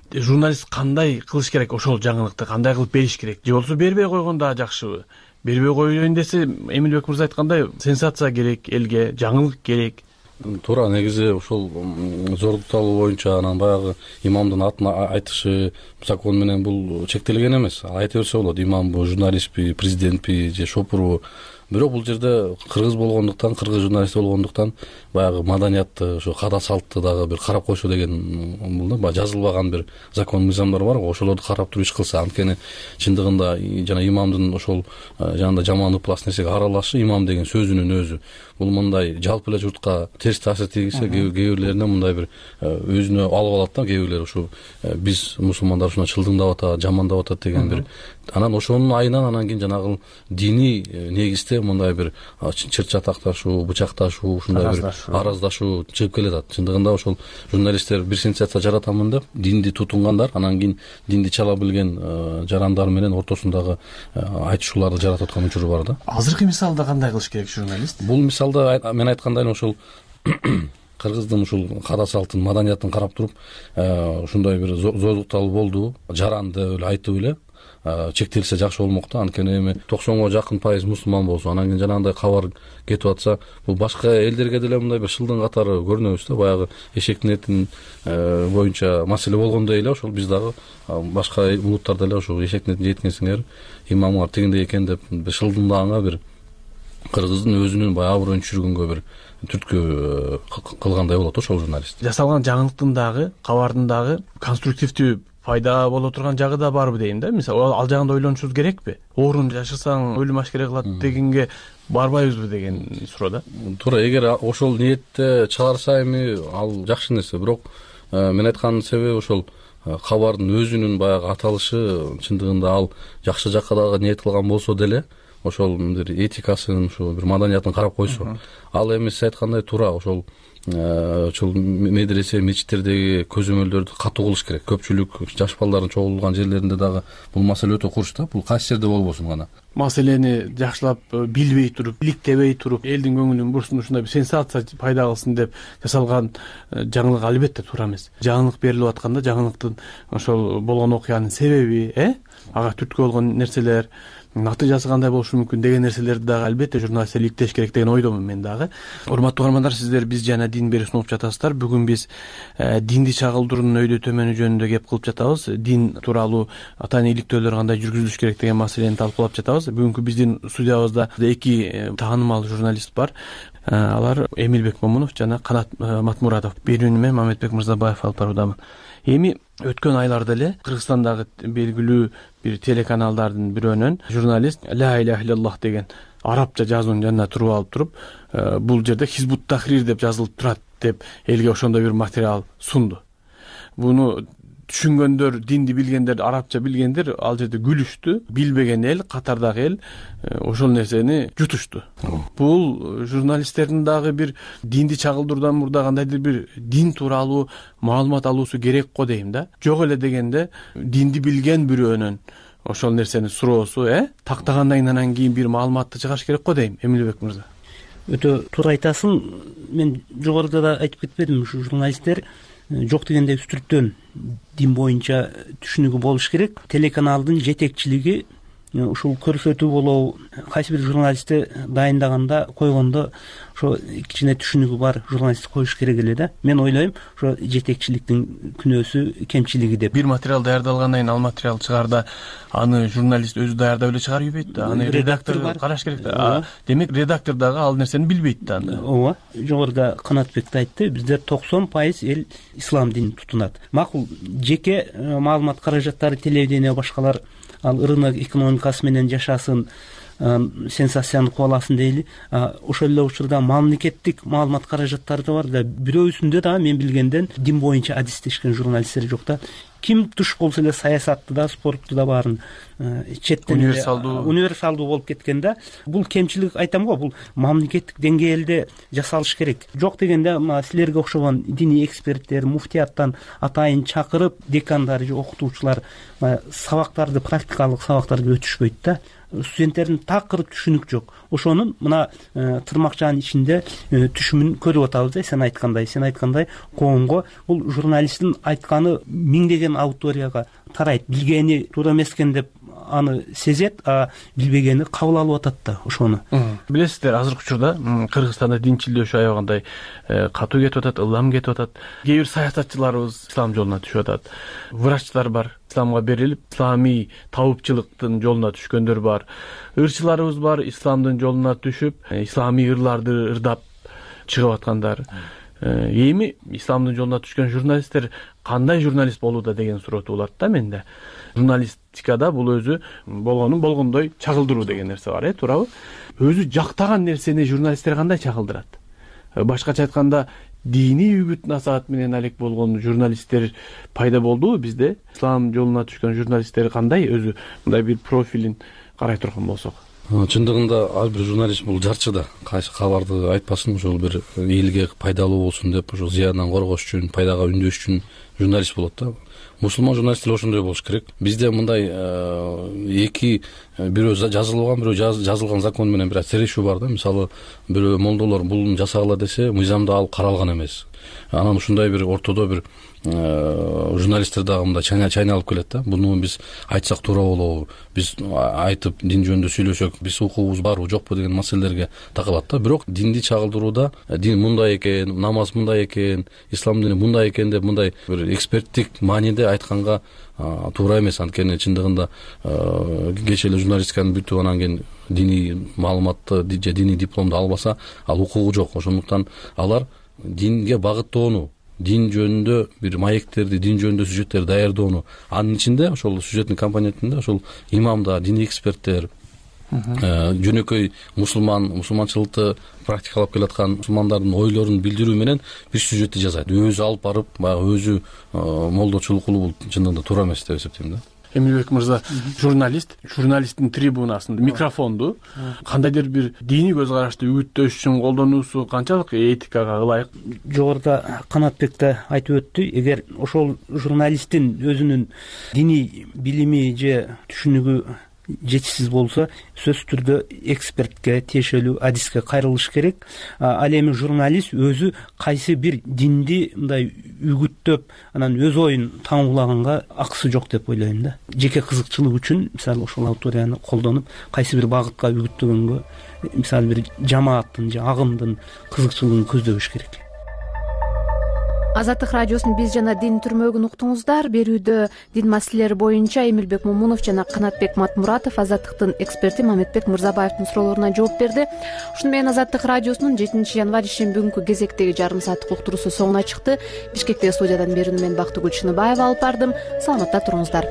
Журналист кандай кылыш керек ошол жаңылыкты, кандай кылып бериш керек? Же болсо бербей койгон да жакшыбы? Бербей коеюн десе, Эмилбек мырза айткандай, сенсация керек элге, жаңылык керек. Туура, негизи ошол зордукталуу боюнча анан баягы имамдын атын айтышы закон менен бул чектелген эмес. Айта берсе болот, имамбы, журналистпи, президентпи же шопурбу. Бирок бул жерде кыргыз болгондуктан, кыргыз журналист болгондуктан баягы маданиятты, ошо када салтты дагы бир карап койсо деген бул да, баягы жазылбаган бир закон мыйзамдар бар го, ошолорду карап туруп иш кылса. Анткени чындыгында жана имамдын ошол жанагындай жаман ыплас нерсеге аралашы, имам деген сөзүнүн өзү бул мындай жалпы эле журтка терс таасир тийгизсе, кээ бирлерине мындай бир өзүнө алып алат да, кээ бирлер ушу биз мусулмандар ушуна чылдыңдап атат, жамандап атат деген бир. Анан ошонун айынан анан кийин жанагы диний негизде мындай бир чыр-чатакташуу, бычакташуу, ушундай бир араздашуу чыгып келатат. Чындыгында ошол журналисттер бир сенсация жаратамын деп динди тутунгандар, анан кийин динди чала билген жарандар менен ортосундагы айтышууларды жаратып аткан учуру бар да. Азыркы мисалда кандай кылыш керек журналист? Бул мисалда мен айткандай ошол кыргыздын ушул када салтын, маданиятын карап туруп, ушундай бир зордукталуу болду, жаранды эле айтып эле чектелсе жакшы болмок да. Анткени эми 90га жакын пайыз мусулман болсо, анан кийин жанагындай кабар кетип атса, бул башка элдерге деле мындай бир шылдың катары көрүнөбүз да. Баягы эшектин этин боюнча маселе болгондой эле ошол биз дагы башка улуттарда эле ошол эшектин этин жеткенсиңер, имамдар тигиндей экен деп шылдыңдаганга бир кыргыздын өзүнүн баягы аброюн түшүргөнгө бир түрткү кылгандай болот ошол журналист. Жасалган жаңылыктын дагы, кабардын дагы конструктивдүү пайда боло турган жагы да барбы дейм да. Мисалы, ал жагында ойлонушубуз керекпи? Оорун жашырсаң өлүм ашкере кылат дегенге барбайбызбы деген суроо да. Туура, эгер ошол ниетте чыгарса эми ал жакшы нерсе. Бирок мен айткан себеби ошол кабардын өзүнүн баягы аталышы чындыгында ал жакшы жакка дагы ниет кылган болсо деле, ошол бир этикасын, ошол бир маданиятын карап койсо, ал эми сиз айткандай туура ошол медресе, мечиттердеги көзөмөлдөрдү катуу кылыш керек. Көпчүлүк жаш балдардын чогулган жерлеринде дагы бул маселе өтө курч да. Бул кайсы жерде болбосун гана. Маселени жакшылап билбей туруп, иликтебей туруп, элдин көңүлүн бурсын, ушундай бир сенсация пайда кылсын деп жасалган жаңылык албетте туура эмес. Жаңылык берилип атканда жаңылыктын ошол болгон окуянын себеби, ага түрткү болгон нерселер, натыйжасы кандай болушу мүмкүн деген нерселерди дагы албетте журналисттер иликтеш керек деген ойдомун мен дагы. Урматтуу угармандар, сиздер биз жана дин берип сунуп жатасыздар. Бүгүн биз динди чагылдыруунун өйдө төмөнү жөнүндө кеп кылып жатабыз. Дин тууралуу атайын иликтөөлөр кандай жүргүзүлүш керек деген маселени талкуулап жатабыз. Бүгүнкү биздин студиябызда 2 таанымал журналист бар. Алар Эмилбек Момунов жана Канат Матмуратов. Берүүнү мен Мамедбек Мырзабаев алып баруудамын. Эми өткөн айларда эле Кыргызстандагы белгилүү бир телеканалдардын бирөөнөн журналист ла иляха иллаллах деген арабча жазуунун жанына туруп алып туруп, бул жерде Хизбут Тахрир деп жазылып турат деп элге ошондой бир материал сунду. Буну түшүнгөндөр, динди билгендер, арабча билгендер ал жерде күлүштү. Билбеген эл, катардагы эл ошол нерсени жутушту. Бул журналисттердин дагы бир динди чагылдыруудан мурда кандайдыр бир дин тууралуу маалымат алуусу керек го дейм да. Жок эле дегенде динди билген бирөөнөн ошол нерсени суроосу, тактагандан кийин бир маалыматты чыгаш керек го дейм, Эмилбек мырза. Өтө туура айтасың. Мен жогоруда да айтып кетпедимби, ушу журналисттер жок дегенде үстүртөн дин боюнча түшүнүгү болуш керек. Телеканалдын жетекчилиги ушул көрсөтүү болобу, кайсы бир журналистти дайындаганда, койгондо ошо кичине түшүнүгү бар журналист коюш керек эле да. Мен ойлойм, ошо жетекчиликтин күнөөсү, кемчилиги деп. Бир материал даярдалгандан кийин ал материал чыгарда аны журналист өзү даярдап эле чыгарып ийбейт да. Аны редактор караш керек да. Демек редактор дагы ал нерсени билбейт да анда. Ооба, жогоруда Канатбек да айтты, бизде 90% эл ислам динин тутунат. Макул, жеке маалымат каражаттары, телевидение башкалар ал рынок экономикасы менен жашасын, сенсацияны кубаласын дейли. Ошол эле учурда мамлекеттик маалымат каражаттары да бар да. Бирөөсүндө да мен билгенден дин боюнча адистешкен журналисттер жок да. Ким туш болсо эле саясатты да, спортту да баарын четтен универсалдуу болуп кеткен да. Бул кемчилик айтам го, бул мамлекеттик деңгээлде жасалыш керек. Жок дегенде силерге окшогон диний эксперттер, муфтияттан атайын чакырып, декандар же окутуучулар сабактарды, практикалык сабактарды өтүшпөйт да. Студенттердин такыр түшүнүк жок. Ошонун мына тырмакчанын ичинде түшүмүн көрүп атабыз да. Сен айткандай коомго бул журналисттин айтканы миңдеген аудиторияга тарайт. Билгени туура эмес экен деп аны сезет, билбегени кабыл алып атат да ошону. Билесиздер, азыркы учурда Кыргызстанда динчилдөөчү аябагандай катуу кетип атат, ылам кетип атат. Кээ бир саясатчыларыбыз ислам жолуна түшүп атат. Врачтар бар, исламга берилип, исламий табыпчылыктын жолуна түшкөндөр бар. Ырчыларыбыз бар, исламдын жолуна түшүп, исламий ырларды ырдап чыгып аткандар. Эми исламдын жолуна түшкөн журналисттер кандай журналист болууда деген суроо туулат да менде. Журналистикада бул өзү болгонун болгондой чагылдыруу деген нерсе бар, туурабы? Өзү жактаган нерсени журналисттер кандай чагылдырат? Башкача айтканда, диний үгүт насаат менен алек болгон журналисттер пайда болдубу бизде? Ислам жолуна түшкөн журналисттер кандай, өзү мындай бир профилин карай турган болсок? Чындыгында ар бир журналист бул жарчы да. Кайсы кабарды айтпасын, ошол бир элге пайдалуу болсун деп, ошол зыяндан коргош үчүн, пайдага үндөш үчүн журналист болот да. Мусулман журналисттер ошондой болуш керек. Бизде мындай эки бирөө жазылган, бирөө жазылган закон менен бир серешүү бар да. Мисалы, бирөө молдолор буну жасагыла десе, мыйзамда ал каралган эмес. Анан ушундай бир ортодо бир журналисттер дагы мындай чайналып келет да. Буну биз айтсак туура болобу, биз айтып дин жөнүндө сүйлөсөк, биз укугубуз барбы жокпу деген маселелерге такылат да. Бирок динди чагылдырууда дин мындай экен, намаз мындай экен, ислам дини мындай экен деп мындай бир эксперттик мааниде айтканга туура эмес. Анткени чындыгында кечээ эле журналистиканы бүтүп анан кийин диний маалыматты же диний дипломду албаса, ал укугу жок. Ошондуктан алар динге багыттоону, дин жөнүндө бир маектерди, дин жөнүндө сюжеттерди даярдоону, анын ичинде ошол сюжеттин компонентинде ошол имамдар, диний эксперттер, жөнөкөй мусулманчылыкты практикалап келаткан мусулмандардын ойлорун билдирүү менен бир сюжетти жасайт. Өзү алып барып, баягы өзү молдочулук кылуу бул чындыгында туура эмес деп эсептейм да. Эмилбек мырза, журналисттин трибунасында микрофонду кандайдыр бир диний көз карашты үгүттөш үчүн колдонуусу канчалык этикага ылайык? Жогоруда Канатбек да айтып өттү. Эгер ошол журналисттин өзүнүн диний билими же түшүнүгү жетишсиз болсо, сөзсүз түрдө экспертке, тиешелүү адиске кайрылыш керек. Ал эми журналист өзү кайсы бир динди мындай үгүттөп, анан өз оюн таңуулаганга акысы жок деп ойлойм да. Жеке кызыкчылык үчүн, мисалы, ошол аудиторияны колдонуп, кайсы бир багытка үгүттөгөнгө, мисалы, бир жамааттын же агымдын кызыкчылыгын көздөбөш керек. Азаттык радиосунун биз жана дин түрмөгүн уктуңуздар. Берүүдө дин маселелери боюнча Эмилбек Момунов жана Канатбек Матмуратов Азаттыктын эксперти Мамедбек Мырзабаевдин суроолоруна жооп берди. Ушуну менен Азаттык радиосунун 7-январь ишемби күнкү кезектеги жарым сааттык уктуруусу соңуна чыкты. Бишкектеги студиядан берүүнү мен Бактыгүл Чыныбаева алып бардым. Саламатта туруңуздар.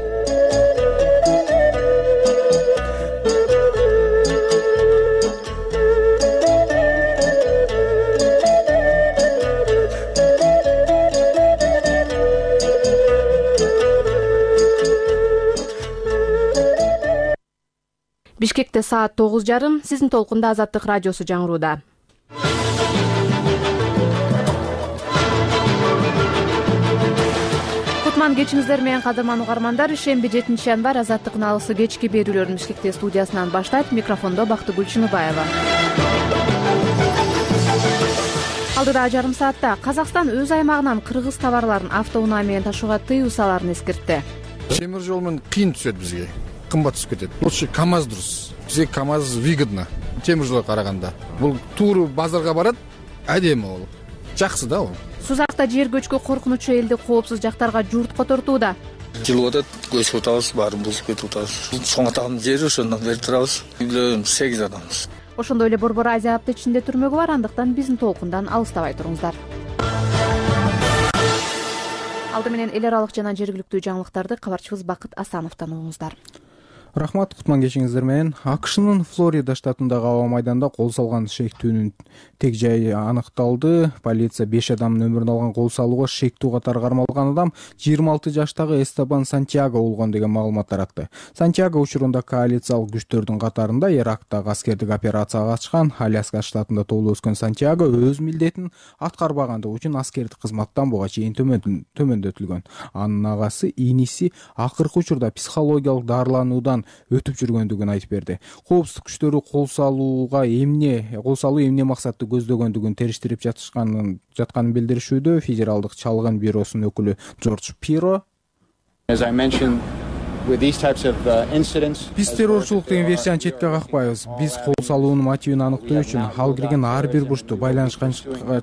Бишкекте саат 9:30. Сиздин толкунда Азаттык радиосу жаңырууда. Кутман кечиңиздер менен кадырман угармандар. Ишемби 7-январь Азаттыктын алысы кечки берүүлөрүн Бишкекте студиясынан баштайт. Микрофондо Бактыгүл Чыныбаева. Алдыда жарым саатта Казакстан өз аймагынан кыргыз товарларын автоунаа менен ташууга тыюу салаарын эскертти. Темир жол менен кыйын түшөт бизге. Кымбат түшүп кетет. Лучше КАМАЗ дурус. Бизге КАМАЗ выгодно. Темир жолго караганда. Бул тууру базарга барат, адеми болуп. Жакшы да бул. Сузакта жер көчкү коркунучу элди коопсуз жактарга журтко тортууда. Жылып атат, көчүп атабыз, баарын бузуп кетип атабыз. Соң атаган жери ошондон берип турабыз. Үйлөрүм 8 адамбыз. Ошондой эле Борбор Азия аптечинде түрмөгү бар, андыктан биздин толкундан алыстабай туруңуздар. Алды менен эл аралык жана жергиликтүү жаңылыктарды кабарчыбыз Бакыт Асановдон угуңуздар. Рахмат, кутман кечиңиздер менен. АКШнын Флорида штатындагы аба майданда кол салган шектүүнүн тег жайы аныкталды. Полиция 5 адамдын өмүрүн алган кол салууга шектүү катары кармалган адам 26 жаштагы Эстебан Сантьяго болгон деген маалымат таратты. Сантьяго учурунда коалициялык күчтөрдүн катарында Ирактагы аскердик операцияга катышкан. Аляска штатында туулуп өскөн Сантьяго өз милдетин аткарбагандыгы үчүн аскердик кызматтан буга чейин төмөндөтүлгөн. Анын агасы иниси акыркы учурда психологиялык дарылануудан өтүп жүргөндүгүн айтып берди. Коопсуздук күчтөрү кол салуу эмне максатты көздөгөндүгүн териштирип жатканын билдиришүүдө. Федералдык чалгын бюросунун өкүлү Джордж Пиро биз террорчулук деген версияны четке какпайбыз. Биз кол салуунун мотивин аныктоо үчүн ал кирген ар бир бурчту байланышка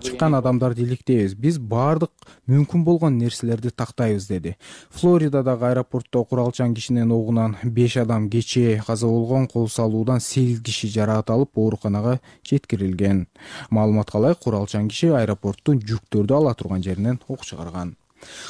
чыккан адамдарды иликтейбиз. Биз баардык мүмкүн болгон нерселерди тактайбыз, деди. Флоридадагы аэропортто куралчан кишинин огунан 5 адам кечээ каза болгон. Кол салуудан 8 киши жараат алып ооруканага жеткирилген. Маалыматка ылайык, куралчан киши аэропорттун жүктөрдү ала турган жеринен ок чыгарган.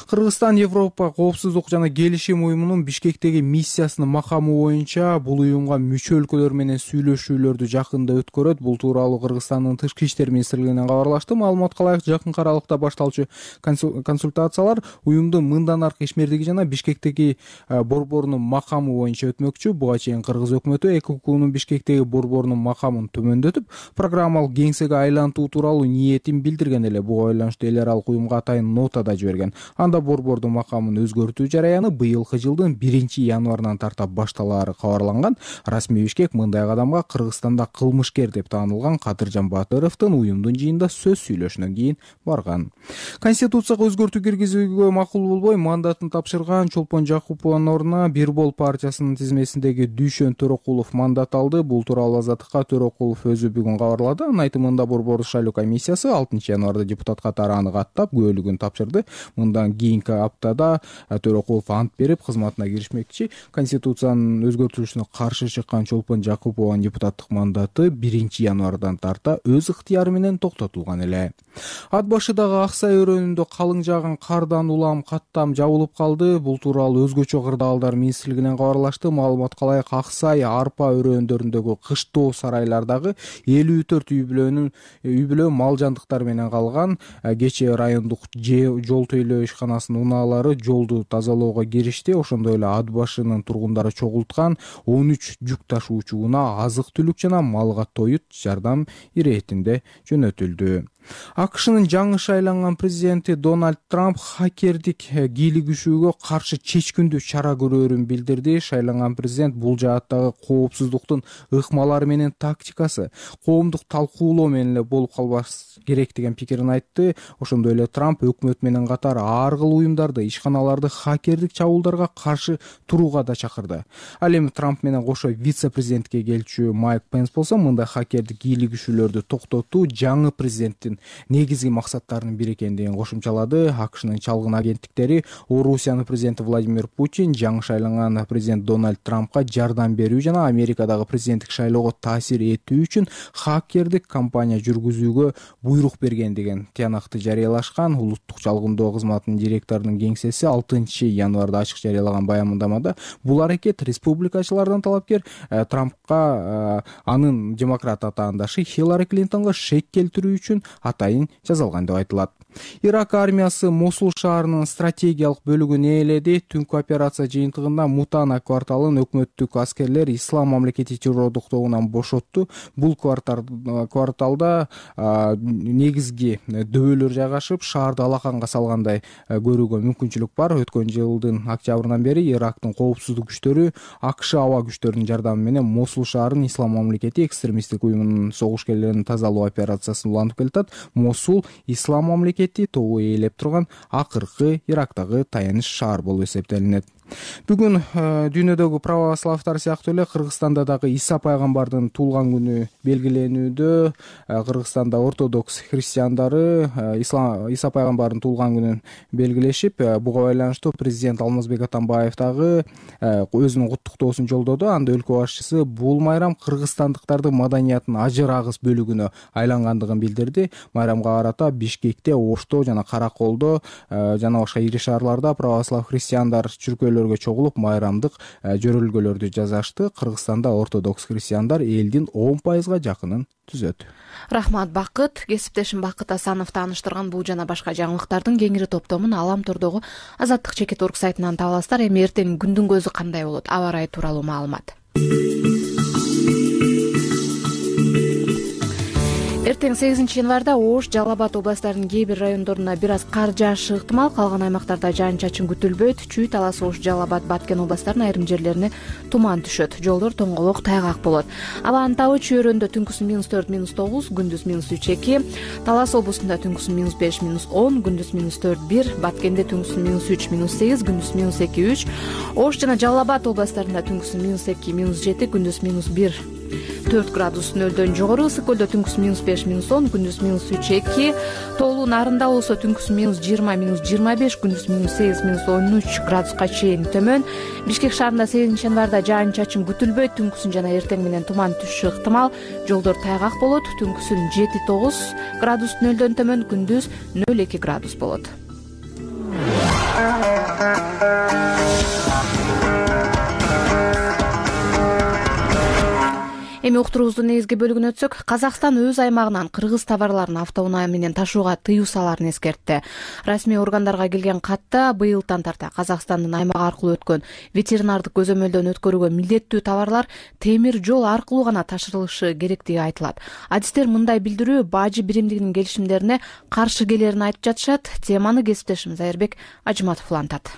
Кыргызстан Европа коопсуздук жана келишим уюмунун Бишкектеги миссиясынын макамы боюнча бул уюмга мүчө өлкөлөр менен сүйлөшүүлөрдү жакында өткөрөт. Бул тууралуу Кыргызстандын Тышкы иштер министрлигинен кабарлашты. Маалыматка ылайык, жакынкы аралыкта башталчу консультациялар уюмдун мындан аркы ишмердиги жана Бишкектеги борборунун макамы боюнча өтмөкчү. Буга чейин Кыргыз өкмөтү ЭККнун Бишкектеги борборунун макамын төмөндөтүп, программалык кеңсеге айлантуу тууралуу ниетин билдирген эле. Буга байланыштуу эл аралык уюмга атайын нота да жиберген. Анда борбордун макамын өзгөртүү жараяны быйылкы жылдын 1-январынан тарта башталаары кабарланган. Расмий Бишкек мындай кадамга Кыргызстанда кылмышкер деп таанылган Кадыржан Батыровдун уюмдун жыйында сөз сүйлөшүнөн кийин барган. Конституцияга өзгөртүү киргизүүгө макул болбой мандатын тапшырган Чолпон Жакупованын ордуна Бир Бол партиясынын тизмесиндеги Дүйшөн Төрөкулов мандат алды. Бул тууралуу Азаттыкка Төрөкулов өзү бүгүн кабарлады. Анын айтымында борбордук шайлоо комиссиясы 6-январда депутат катары аны каттап күбөлүгүн тапшырды. Мындан кийинки аптада Төрөкулов ант берип кызматына киришмекчи. Конституциянын өзгөртүлүшүнө каршы чыккан Чолпон Жакупованын депутаттык мандаты 1-январдан тарта өз ыктыяры менен токтотулган эле. Ат башыдагы Аксай өрөөнүндө калың жааган кардан улам каттам жабылып калды. Бул тууралуу өзгөчө кырдаалдар министрлигинен кабарлашты. Маалыматка ылайык, Аксай, Арпа өрөөндөрүндөгү кыштоо сарайлардагы 54 үй бүлө мал жандыктар менен калган. Кечээ райондук жол тейлөө ишканасынын унаалары жолду тазалоого киришти. Ошондой эле Ат башынын тургундары чогулткан 13 жүк ташуучу унаа азык-түлүк жана малга тоют жардам иретинде жөнөтүлдү. АКШнын жаңы шайланган президенти Дональд Трамп хакердик кийлигишүүгө каршы чечкиндүү чара көрөөрүн билдирди. Шайланган президент бул жааттагы коопсуздуктун ыкмалары менен тактикасы коомдук талкуулоо менен эле болуп калбаш керек деген пикирин айтты. Ошондой эле Трамп өкмөт менен катар ар кыл уюмдарды, ишканаларды хакердик чабуулдарга каршы турууга да чакырды. Ал эми Трамп менен кошо вице-президентке келчү Майк Пенс болсо мындай хакердик кийлигишүүлөрдү токтотуу жаңы президенттин көзөмөлдөрүнүн негизги максаттарынын бири экендигин кошумчалады. АКШнын чалгын агенттиктери Орусиянын президенти Владимир Путин жаңы шайланган президент Дональд Трампка жардам берүү жана Америкадагы президенттик шайлоого таасир этүү үчүн хакердик кампания жүргүзүүгө буйрук берген деген тыянакты жарыялашкан. Улуттук чалгындоо кызматынын директорунун кеңсеси 6 январда ачык жарыялаган баяндамада бул аракет республикачылардан талапкер Трампка анын демократ атаандашы Хиллари Клинтонго шек келтирүү үчүн атайын жазалган деп айтылат. Ирак армиясы Мосул шаарынын стратегиялык бөлүгүн ээледи. Түнкү операция жыйынтыгында Мутана кварталын өкмөттүк аскерлер Ислам мамлекети террордук тобунан бошотту. Бул кварталда негизги дөбөлөр жайгашып, шаарды алаканга салгандай көрүүгө мүмкүнчүлүк бар. Өткөн жылдын октябрынан бери Ирактын коопсуздук күчтөрү АКШ аба күчтөрүнүн жардамы менен Мосул шаарын Ислам мамлекети экстремисттик уюмунун согушкерлеринин тазалоо операциясын улантып келатат. Мосул Ислам мамлекети тобу ээлеп турган акыркы Ирактагы таяныч шаар болуп эсептелинет. Бүгүн дүйнөдөгү православтар сыяктуу эле Кыргызстанда дагы Иса пайгамбардын туулган күнү белгиленүүдө. Кыргызстанда ортодокс христиандары Иса пайгамбардын туулган күнүн белгилешип, буга байланыштуу президент Алмазбек Атамбаев дагы өзүнүн куттуктоосун жолдоду. Анда өлкө башчысы бул майрам кыргызстандыктардын маданиятынын ажыр агыс бөлүгүнө айлангандыгын билдирди. Майрамга карата Бишкекте, Ошто жана Караколдо жана башка ири шаарларда православ христиандар чүркөөлөргө чогулуп майрамдык жөрөлгөлөрдү жасашты. Кыргызстанда ортодокс христиандар элдин 10%га жакынын түзөт. Рахмат Бакыт. Кесиптешим Бакыт Асанов тааныштырган бул жана башка жаңылыктардын кеңири топтомун Алам Тордогу Азаттык чекит орг сайтынан таба аласыздар. Эми эртең күндүн көзү кандай болот? Аба ырайы тууралуу маалымат. Эртең 8 январда Ош, Жалал Абад областарынын кээ бир райондоруна бир аз кар жаашы ыктымал. Калган аймактарда жаан-чачын күтүлбөйт. Чүй, Талас, Ош, Жалал Абад, Баткен областарынын айрым жерлерине туман түшөт. Жолдор тоңголок, тайгак болот. Абанын табы Чүйөрөндө түнкүсүн -4, -9, күндүз -3, -2, Талас облусунда түнкүсүн -5, -10, күндүз -4, -1, Баткенде түнкүсүн -3, -8, күндүз -2, -3, Ош жана Жалал Абад областарында түнкүсүн -2, -7, күндүз -1, 4 градус нөлдөн жогору. Ысык көлдө түнкүсүн -5, -10, күндүз -3, -2, Тоолуу Нарында болсо түнкүсүн -20, -25, күндүз -8, -13 градуска чейин төмөн. Бишкек шаарында 8 январда жаан-чачын күтүлбөйт. Түнкүсүн жана эртең менен туман түшүшү ыктымал. Жолдор тайгак болот. Түнкүсүн 7-9 градус нөлдөн төмөн, күндүз 0-2 градус болот. Эми уктуруубуздун негизги бөлүгүнө өтсөк, Казакстан өз аймагынан кыргыз товарларын автоунаа менен ташууга тыюу салаарын эскертти. Расмий органдарга келген катта быйылдан тарта Казакстандын аймагы аркылуу өткөн ветеринардык көзөмөлдөн өткөрүүгө милдеттүү товарлар темир жол аркылуу гана ташырылышы керектиги айтылат. Адистер мындай билдирүү бажы биримдигинин келишимдерине каршы келерин айтып жатышат. Теманы кесиптешим Зайырбек Ажыматов улантат.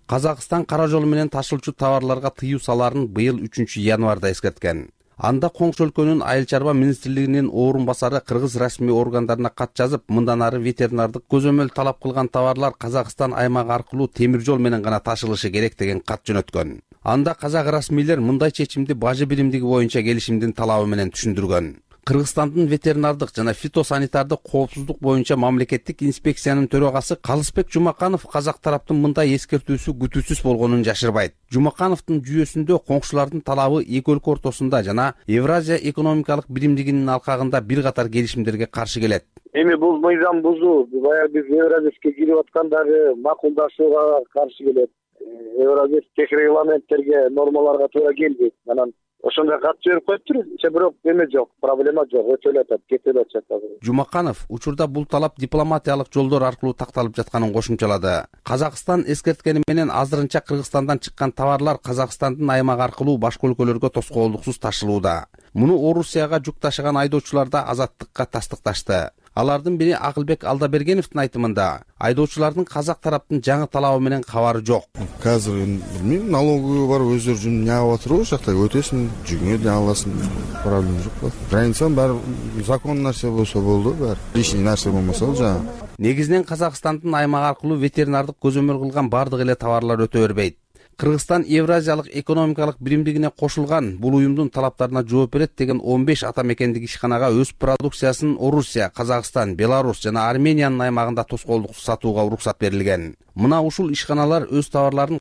Казакстан кара жол менен ташылчу товарларга тыюу салаарын быйыл 3 январда эскерткен. Анда коңшу өлкөнүн айыл чарба министрлигинин орун басары кыргыз расмий органдарына кат жазып, мындан ары ветеринардык көзөмөл талап кылган товарлар Казакстан аймагы аркылуу темир жол менен гана ташылышы керек деген кат жөнөткөн. Анда казак расмийлер мындай чечимди бажы биримдиги боюнча келишимдин талабы менен түшүндүргөн. Кыргызстандын ветеринардык жана фитосанитардык коопсуздук боюнча мамлекеттик инспекциянын төрагасы Калысбек Жумаканов казак тараптын мындай эскертүүсү күтүүсүз болгонун жашырбайт. Жумакановдун жүйөсүндө коңшулардын талабы эки өлкө ортосунда жана Евразия экономикалык биримдигинин алкагында бир катар келишимдерге каршы келет. Эми бул мыйзам бузуу баягы биз Евразияске кирип аткандагы макулдашууга каршы келет. Евразиялык регламенттерге, нормаларга туура келбейт. Анан ошондой кат жиберип коюптур. Бирок эме жок, проблема жок, өтөлүп атат, кетип атат. Жумаканов учурда бул талап дипломатиялык жолдор аркылуу такталып жатканын кошумчалады. Казакстан эскерткени менен азырынча Кыргызстандан чыккан товарлар Казакстандын аймагы аркылуу башка өлкөлөргө тоскоолдуксуз ташылууда. Муну Орусияга жүк ташыган айдоочулар да Азаттыкка тастыкташты. Алардын бири Акылбек Алдабергеновдун айтымында, айдоочулардын казак тараптын жаңы талабы менен кабары жок. Азыр билмейм, налоговый бар, өздөрү жүнүн жаап атыр, ошол жакта өтөсүң, жүгүңө да аласың, проблема жок. Границанын баары закон нерсе болсо болду, баары лишний нерсе болмосо жана. Негизинен Казакстандын аймагы аркылуу ветеринардык көзөмөл кылган бардык эле товарлар өтө бербейт. Кыргызстан Евразиялык экономикалык биримдигине кошулган, бул уюмдун талаптарына жооп берет деген 15 ата мекендик ишканага өз продукциясын Орусия, Казакстан, Беларусь жана Армениянын аймагында тоскоолдук сатууга уруксат берилген. Мына ушул ишканалар өз товарларын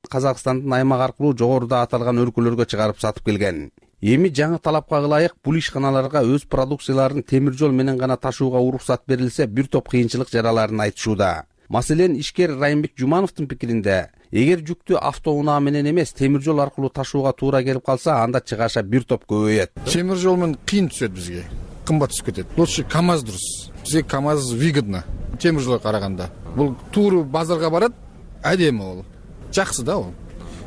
Казакстандын аймак аркылуу жогоруда аталган өлкөлөргө чыгарып сатып келген. Эми жаңы талапка ылайык бул ишканаларга өз продукцияларын темир жол менен гана ташууга уруксат берилсе, бир топ кыйынчылык жараларын айтышууда. Маселен, ишкер Райымбек Жумановдун пикиринде, эгер жүктү автоунаа менен эмес, темир жол аркылуу ташууга туура келип калса, анда чыгаша бир топ көбөйөт. Темир жол менен кыйын түшөт бизге, кымбат түшүп кетет. Лучше КАМАЗ дурус. Бизге КАМАЗ выгодно. Темир жолго караганда. Бул тууру базарга барат, адеми бул. Жакшы да бул.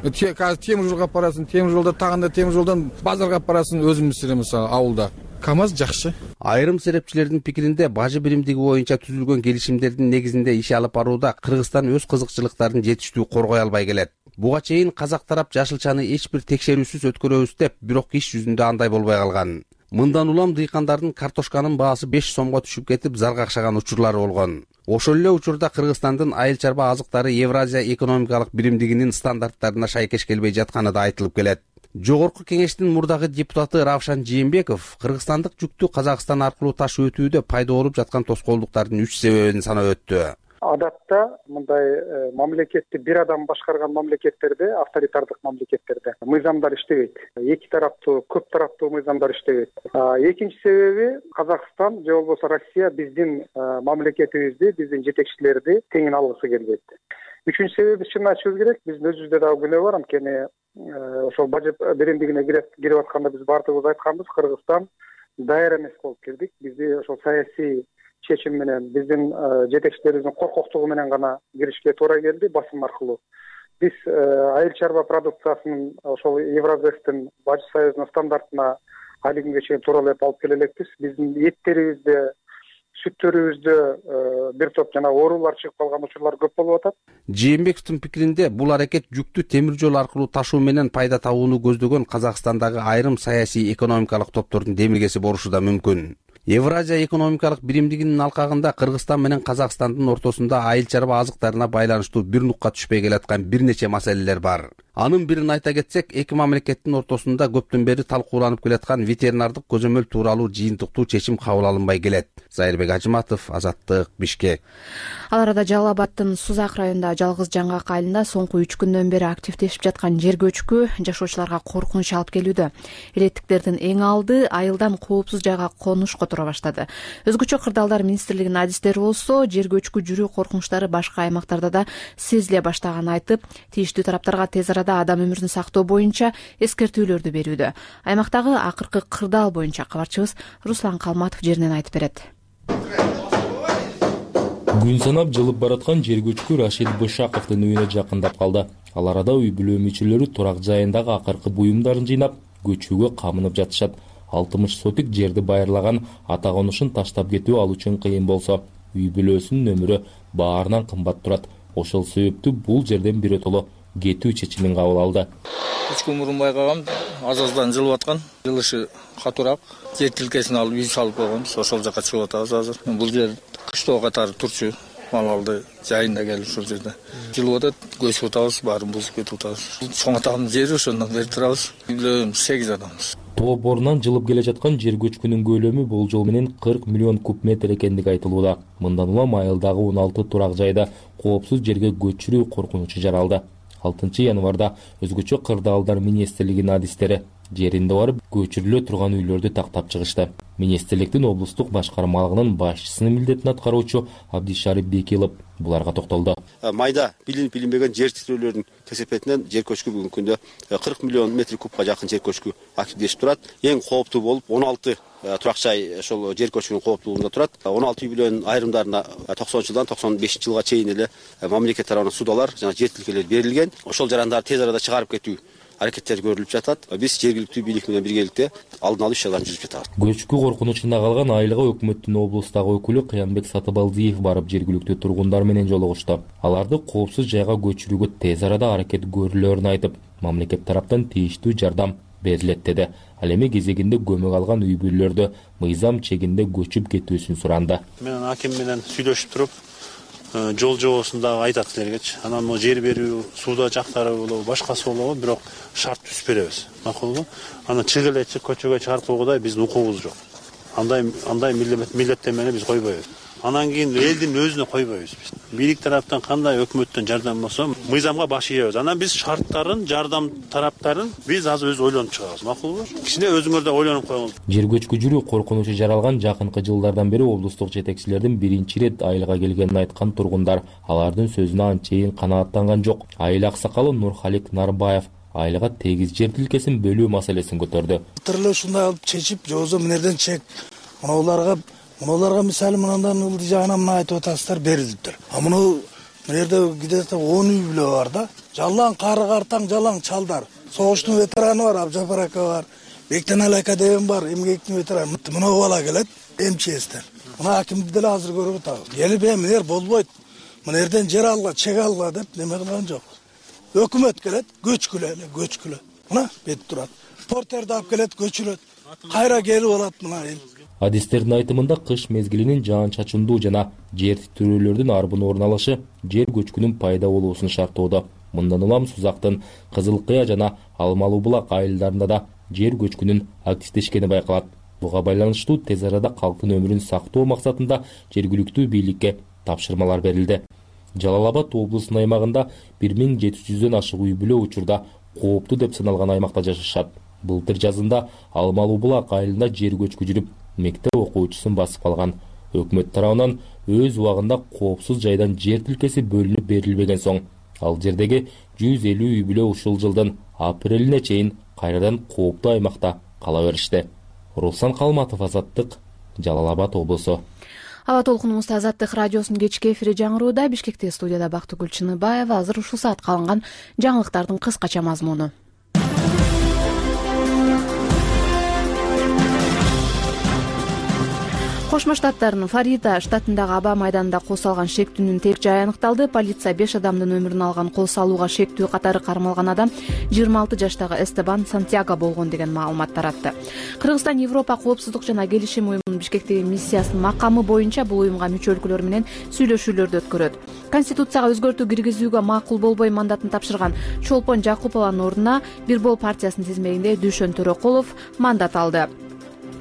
Казыр темир жолго барасың, темир жолдо тагында темир жолдон базарга барасың, өзүмүз мисалы авылда. КАМАЗ жакшы. Айрым серепчилердин пикиринде, бажы биримдиги боюнча түзүлгөн келишимдердин негизинде иш алып барууда Кыргызстан өз кызыкчылыктарын жетиштүү коргой албай келет. Буга чейин казак тарап жашылчаны эч бир текшерүүсүз өткөрөбүз деп, бирок иш жүзүндө андай болбой калган. Мындан улам дыйкандардын картошканын баасы 5 сомго түшүп кетип, заргакшаган учурлары болгон. Ошол эле учурда Кыргызстандын айыл чарба азыктары Евразия экономикалык биримдигинин стандарттарына шайкеш келбей жатканы да айтылып келет. Жогорку кеңештин мурдагы депутаты Равшан Жээнбеков кыргызстандык жүктү Казакстан аркылуу ташуу өтүүдө пайда болуп жаткан тоскоолдуктардын 3 себебин санап өттү. Адатта мындай мамлекетти бир адам башкарган мамлекеттерде, авторитардык мамлекеттерде мыйзамдар иштебейт. Эки тараптуу, көп тараптуу мыйзамдар иштебейт. Экинчи себеби Казакстан же болбосо Россия биздин мамлекетибизди, биздин жетекчилерди теңин алгысы келбейт. Үчүнчү себеби чын айтышыбыз керек, биздин өзүбүздө дагы күнөө бар, анткени ошол бажы биримдигине кирип атканда биз баардыгыбыз айтканбыз, Кыргызстан даяр эмес болуп кирдик. Бизди ошол саясий чечим менен, биздин жетекчилерибиздин коркоктугу менен гана киришке туура келди, басым аркылуу. Биз айыл чарба продукциясынын ошол Евразиялыктын бажы союзунун стандартына али күнгө чейин тууралап алып келе элекпиз. Биздин эттерибизде, сүттөрүбүздө бир топ жана оорулар чыгып калган учурлар көп болуп атат. Жээнбековдун пикиринде, бул аракет жүктү темир жол аркылуу ташуу менен пайда табууну көздөгөн Казакстандагы айрым саясий экономикалык топтордун демилгеси болушу да мүмкүн. Евразия экономикалык биримдигинин алкагында Кыргызстан менен Казакстандын ортосунда айыл чарба азыктарына байланыштуу бир нукка түшпөй келаткан бир нече маселелер бар. Анын бирин айта кетсек, эки мамлекеттин ортосунда көптөн бери талкууланып келаткан ветеринардык көзөмөл тууралуу жыйынтыктуу чечим кабыл алынбай келет. Зайырбек Ажыматов, Азаттык, Бишкек. Ал арада Жалал Абаддын Сузак районунда Жалгыз Жаңгак айылында соңку 3 күндөн бери активдешип жаткан жер көчкү жашоочуларга коркунуч алып келүүдө. Элеттиктердин эң алды айылдан коопсуз жайга конуш которо баштады. Өзгөчө кырдаалдар министрлигинин адистери болсо, жер көчкү жүрүү коркунучтары башка аймактарда да сезиле баштаганын айтып, тийиштүү тараптарга тез арада адам өмүрүн сактоо боюнча эскертүүлөрдү берүүдө. Аймактагы акыркы кырдаал боюнча кабарчыбыз Руслан Калматов жеринен айтып берет. Күн санап жылып бараткан жер көчкү Рашид Бышаковдун үйүнө жакындап калды. Ал арада үй бүлө мүчөлөрү турак жайындагы акыркы буюмдарын жыйнап, көчүүгө камынып жатышат. 60 сотик жерди байырлаган ата конушун таштап кетүү ал үчүн кыйын болсо, үй бүлөсүнүн өмүрү баарынан кымбат турат. Ошол себептүү бул жерден биротоло кетүү чечимин кабыл алды. 3 күн мурун байкагам, аз-аздан жылып аткан, жылышы катуураак. Жер тилкесин алып үй салып койгонбуз, ошол жака чыгып атабыз азыр. Бул жер кыштоо катары турчу, малалды жайында келип ушул жерде жылып атат, көчүп атабыз, баарын бузуп кетип атабыз. Чоң атамдын жери ошондон бери турабыз. Үйлөрүбүз 8 адамбыз. Тоо борунан жылып келе жаткан жер көчкүнүн көлөмү болжол менен 40 миллион куб метр экендиги айтылууда. Мындан улам айылдагы 16 турак жайда коопсуз жерге көчүрүү коркунучу жаралды. 6 январда өзгөчө кырдаалдар министрлигинин адистери жеринде барып көчүрүлө турган үйлөрдү тактап чыгышты. Министрликтин облустук башкармалыгынын башчысынын милдетин аткаруучу Абдишарип Бекилов буларга токтолду. Майда билинбеген жер титирөөлөрдүн кесепетинен жер көчкү бүгүнкү күндө 40 миллион метр кубка жакын жер көчкү активдешип турат. Эң кооптуу болуп 16 турак жай ошол жер көчкүнүн кооптуулугунда турат. 16 үй бүлөнүн айрымдарына 90-жылдан 95-жылга чейин эле мамлекет тарабынан судалар жана жер тилкелери берилген. Ошол жарандарды тез арада чыгарып кетүү аракеттер көрүлүп жатат. Биз жергиликтүү бийлик менен биргеликте алдын алуу иш-чараларын жүргүзүп жатабыз. Көчкү коркунучунда калган айылга өкмөттүн облустагы өкүлү Кыянбек Сатыбалдиев барып жергиликтүү тургундар менен жолугушту. Аларды коопсуз жайга көчүрүүгө тез арада аракет көрүлөрүн айтып, мамлекет тараптан тийиштүү жардам берилет деди. Ал эми кезегинде көмөк алган үй бүлөлөрдү мыйзам чегинде көчүп кетүүсүн суранды. Мен аким менен сүйлөшүп туруп, жол жобосунда айтат силергечи. Анан могу жер берүү, сууда жактары болобу, башкасы болобу, бирок шарт түзүп беребиз. Макулбу? Анан чыгып эле көчөгө чыгарпагыдай биздин укугубуз жок. Андай милдеттенмени биз койбойбуз. Анан кийин элдин өзүнө койбойбуз биз. Бийлик тараптан кандай өкмөттөн жардам болсо, мыйзамга баш ийебиз. Анан биз шарттарын, жардам тараптарын биз азыр өзү ойлонуп чыгабыз. Макулбу? Кичине өзүңөр да ойлонуп коюңуз. Жер көчкү коркунучу жаралган жакынкы жылдардан бери облустук жетекчилердин биринчи ирет айылга келгенин айткан тургундар алардын сөзүнө анчейин канааттанган жок. Айыл аксакалы Нурхалик Нарбаев айылга тегиз жер тилкесин бөлүү маселесин көтөрдү. Тырлы ушундай алып чечип, жобосо мынерден чек. Мунуларга мисалы мындан ылдый жагынан мына айтып атасыздар берилиптир. Мына жерде где-то 10 үй бүлө бар да. Жалаң кары картаң, жалаң чалдар. Согуштун ветераны бар, Абжапар ака бар. Бектенали ака деген бар, эмгектин ветераны. Мына бала келет, МЧСтен. Мына акимди деле азыр көрүп атабыз. Келип эмнер болбойт. Мына жерден жер алга, чек алга деп неме кылган жок. Өкмөт келет, көчкүлө. Мына бет турат. Портерди алып келет, көчүрөт. Кайра келип алат мына эл. Адистердин айтымында кыш мезгилинин жаан-чачындуу жана жер титирөөлөрдүн арбын орун алышы жер көчкүнүн пайда болуусун шарттоодо. Мындан улам Сузактын Кызыл Кыя жана Алмалуу Булак айылдарында да жер көчкүнүн активдешкени байкалат. Буга байланыштуу тез арада калктын өмүрүн сактоо максатында жергиликтүү бийликке тапшырмалар берилди. Жалал Абад облусунун аймагында 1700дөн ашык үй бүлө учурда кооптуу деп саналган аймакта жашашат. Былтыр жазында Алмалуу Булак айылында жер көчкү жүрүп, мектеп окуучусун басып калган. Өкмөт тарабынан өз убагында коопсуз жайдан жер тилкеси бөлүнүп берилбеген соң, ал жердеги 150 үй бүлө ушул жылдын апрелине чейин кайрадан кооптуу аймакта кала беришти. Руслан Калматов, Азаттык, Жалал Абад облусу. Аба толкунубузда Азаттык радиосунун кечки эфири жаңырууда. Бишкекте студияда Бактыгүл Чыныбаева. Азыр ушул саатка алынган жаңылыктардын кыскача мазмуну. Кошмо Штаттардын Флорида штатындагы аба майданында кол салган шектүүнүн тек жайы аныкталды. Полиция 5 адамдын өмүрүн алган кол салууга шектүү катары кармалган адам 26 жаштагы Эстебан Сантьяго болгон деген маалымат таратты. Кыргызстан Европа коопсуздук жана келишим уюмунун Бишкектеги миссиясынын макамы боюнча бул уюмга мүчө өлкөлөр менен сүйлөшүүлөрдү өткөрөт. Конституцияга өзгөртүү киргизүүгө макул болбой мандатын тапшырган Чолпон Жакупованын ордуна Бир Бол партиясынын тизмегинде Дүйшөн Төрөкулов мандат алды.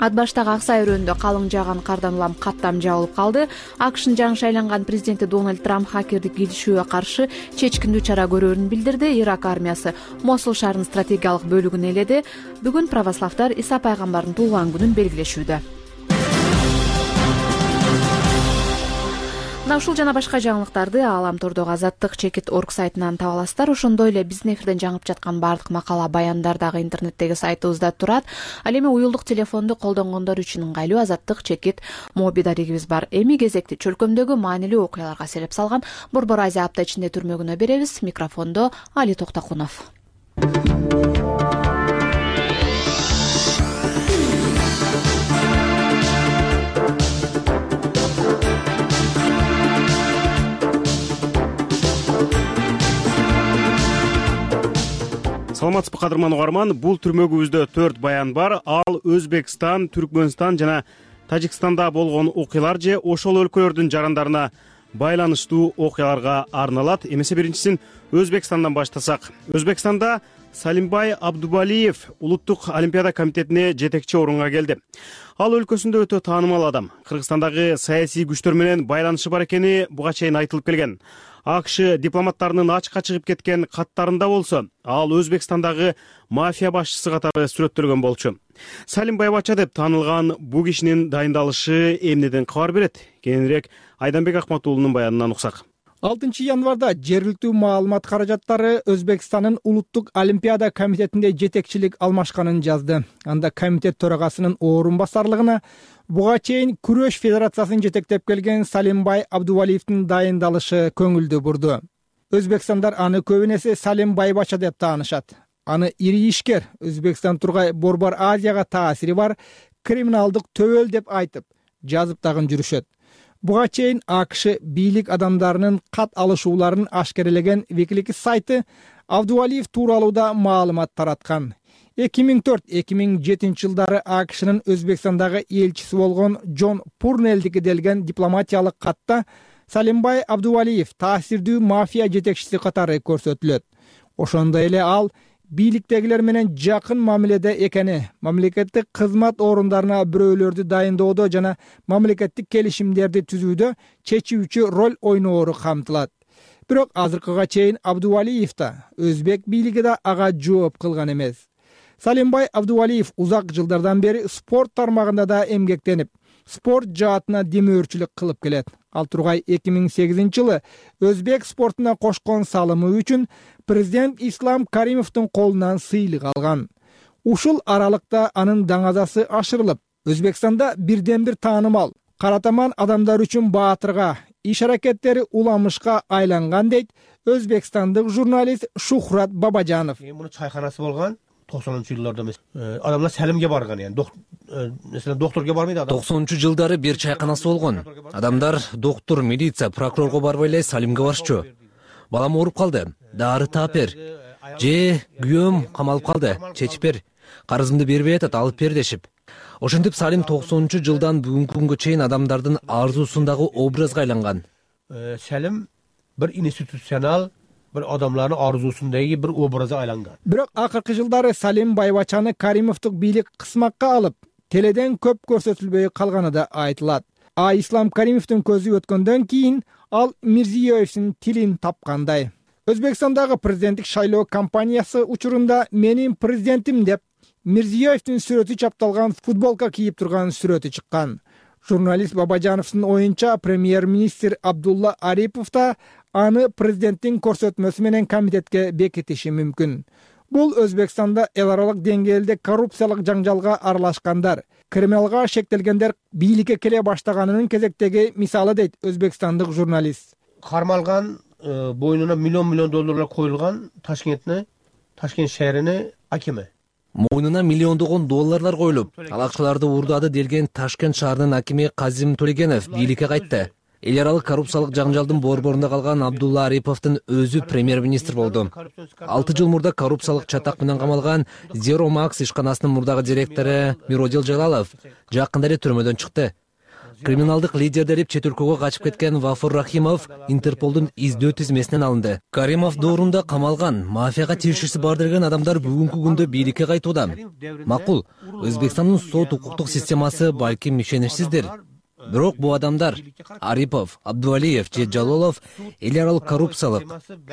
Ат баштагы Аксай өрөөнүндө калың жааган кардан улам каттам жабылып калды. АКШнын жаңы шайланган президенти Дональд Трамп хакердик киришүүгө каршы чечкиндүү чара көрөрүн билдирди. Ирак армиясы Мосул шаарынын стратегиялык бөлүгүн ээледи. Бүгүн православдар Иса пайгамбардын туулган күнүн белгилешүүдө. Мына ушул жана башка жаңылыктарды Ааламтордогу Азаттык.org сайтынан таба аласыздар. Ошондой эле биздин эфирден жаңып жаткан бардык макала, баяндар дагы интернеттеги сайтыбызда турат. Ал эми уюлдук телефонду колдонгондор үчүн ыңгайлуу Азаттык.моби дарегибиз бар. Эми кезекти чөлкөмдөгү маанилүү окуяларга сереп салган Борбор Азия апта ичинде түрмөгүнө беребиз. Микрофондо Али Токтокунов. Саламатсызбы кадырман угарман, бул түрмөгүбүздө 4 баян бар. Ал Өзбекстан, Түркмөнстан жана Тажикстанда болгон окуялар же ошол өлкөлөрдүн жарандарына байланыштуу окуяларга арналат. Эмесе биринчисин Өзбекстандан баштасак. Өзбекстанда Салимбай Абдубалиев улуттук олимпиада комитетине жетекчи орунга келди. Ал өлкөсүндө өтө таанымал адам. Кыргызстандагы саясий күчтөр менен байланышы бар экени буга чейин айтылып келген. АКШ дипломаттарынын ачыкка чыгып кеткен каттарында болсо, ал Өзбекстандагы мафия башчысы катары сүрөттөлгөн болчу. Салимбай Бача деп таанылган бул кишинин дайындалышы эмнеден кабар берет? Кийинирээк Айданбек Акматуулунун баянынан уксак. 6 январда жергиликтүү маалымат каражаттары Өзбекстандын улуттук олимпиада комитетинде жетекчилик алмашканын жазды. Анда комитет төрагасынын орун басарлыгына буга чейин күрөш федерациясын жетектеп келген Салимбай Абдувалиевдин дайындалышы көңүлдү бурду. Өзбекстандар аны көбүнесе Салимбай Бача деп таанышат. Аны ири ишкер, Өзбекстан тургай Борбор Азияга таасири бар криминалдык төбөл деп айтып, жазып дагы жүрүшөт. Буга чейин АКШ бийлик адамдарынын кат алышууларын ашкерелеген Wikileaks сайты Абдувалиев тууралуу да маалымат тараткан. 2004-2007 жылдары АКШнын Өзбекстандагы элчиси болгон Джон Пурнелдиге делген дипломатиялык катта Салимбай Абдувалиев таасирдүү мафия жетекчиси катары көрсөтүлөт. Ошондой эле ал бийликтегилер менен жакын мамиледе экени, мамлекеттик кызмат орундарына бирөөлөрдү дайындоодо жана мамлекеттик келишимдерди түзүүдө чечүүчү роль ойноору камтылат. Бирок азыркыга чейин Абдувалиев да, өзбек бийлиги да ага жооп кылган эмес. Салимбай Абдувалиев узак жылдардан бери спорт тармагында да эмгектенип, спорт жаатына демөөрчүлүк кылып келет. Ал тургай 2008-жылы өзбек спортуна кошкон салымы үчүн президент Ислам Каримовдун колунан сыйлык алган. Ушул аралыкта анын даңазасы ашырылып, Өзбекстанда бирден бир таанымал, каратаман адамдар үчүн баатырга, иш аракеттери уламышка айланган дейт өзбекстандык журналист Шухрат Бабажанов. Муну чайканасы болгон 90-жылдарда эмес. Адамдар салимге барган, мисалы докторго барбайт адам. 90-жылдары бир чайканасы болгон. Адамдар доктор, милиция, прокурорго барбай эле салимге барышчу. Балам ооруп калды, дары таап бер. Же күйөөм камалып калды, чечип бер. Карызымды бербей атат, алып бер дешип. Ошентип Салим 90-жылдан бүгүнкү күнгө чейин адамдардын арзуусундагы образга айланган. Салим бир институционал, бир адамдардын арзуусундагы бир образга айланган. Бирок акыркы жылдары Салим Байбачаны Каримовдук бийлик кысмакка алып, теледен көп көрсөтүлбөй калганы да айтылат. Ислам Каримовдун көзү өткөндөн кийин ал Мирзиёевдин тилин тапкандай. Өзбекстандагы президенттик шайлоо кампаниясы учурунда менин президентим деп Мирзиёевдин сүрөтү чапталган футболка кийип турган сүрөтү чыккан. Журналист Бабажановдун оюнча премьер-министр Абдулла Арипов да аны президенттин көрсөтмөсү менен комитетке бекитиши мүмкүн. Бул Өзбекстанда эл аралык деңгээлде коррупциялык жаңжалга аралашкандар, криминалга шектелгендер бийликке келе баштаганынын кезектеги мисалы дейт өзбекстандык журналист. Кармалган боюнуна миллион долларлар коюлган Ташкент шаарынын акими. Мойнуна миллиондогон долларлар коюлуп, ал акчаларды уурдады делген Ташкент шаарынын акими Казим Төлегенов бийликке кайтты. Эл аралык коррупциялык жаңжалдын борборунда калган Абдулла Ариповдун өзү премьер-министр болду. 6 жыл мурда коррупциялык чатак менен камалган Zero Max ишканасынын мурдагы директору Миродил Жалалов жакында эле түрмөдөн чыкты. Криминалдык лидер деп чет өлкөгө качып кеткен Вафур Рахимов Интерполдун издөө тизмесинен алынды. Каримов доорунда камалган, мафияга тиешеси бар деген адамдар бүгүнкү күндө бийликке кайтууда. Макул, Өзбекстандын сот укуктук системасы балким ишеничсиздир. Бирок бул адамдар Арипов, Абдувалиев же Жалолов эл аралык коррупциялык,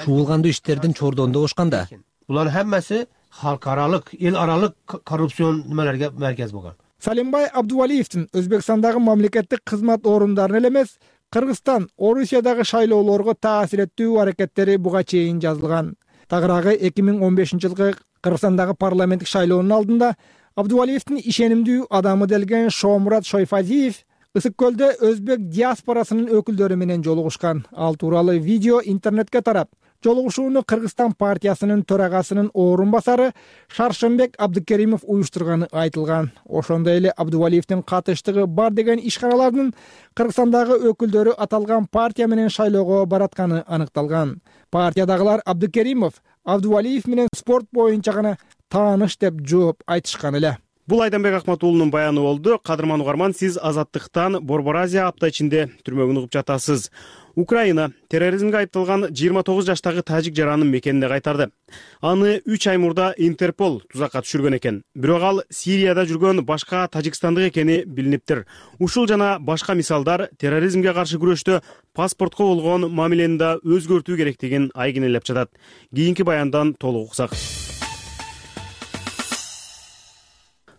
чуулгандуу иштердин чордонунда бошканда. Булардын хаммасы халкаралык, эл аралык коррупцион немелерге меркез болгон. Салимбай Абдувалиевдин Өзбекстандагы мамлекеттик кызмат орундарына эле эмес, Кыргызстан, Орусиядагы шайлоолорго таасир этүү аракеттери буга чейин жазылган. Тагыраагы 2015-жылкы Кыргызстандагы парламенттик шайлоонун алдында Абдувалиевдин ишенимдүү адамы делген Шоомурат Шойфазиев Ысык көлдө өзбек диаспорасынын өкүлдөрү менен жолугушкан. Ал тууралуу видео интернетке тарап, жолугушууну Кыргызстан партиясынын төрагасынын орун басары Шаршембек Абдыкеримов уюштурганы айтылган. Ошондой эле Абдувалиевдин катыштыгы бар деген ишканалардын Кыргызстандагы өкүлдөрү аталган партия менен шайлоого баратканы аныкталган. Партиядагылар Абдыкеримов Абдувалиев менен спорт боюнча гана тааныш деп жооп айтышкан эле. Бул Айданбек Акматуулунун баяны болду. Кадырман угарман, сиз Азаттыктан Борбор Азия апта ичинде түрмөгүн угуп жатасыз. Украина терроризмге айыпталган 29 жаштагы тажик жаранын мекенине кайтарды. Аны 3 ай мурда Интерпол тузакка түшүргөн экен. Бирок ал Сирияда жүргөн башка тажикстандык экени билиниптир. Ушул жана башка мисалдар терроризмге каршы күрөштө паспортко болгон мамилени да өзгөртүү керектигин айгинелеп жатат. Кийинки баяндан толук уксак.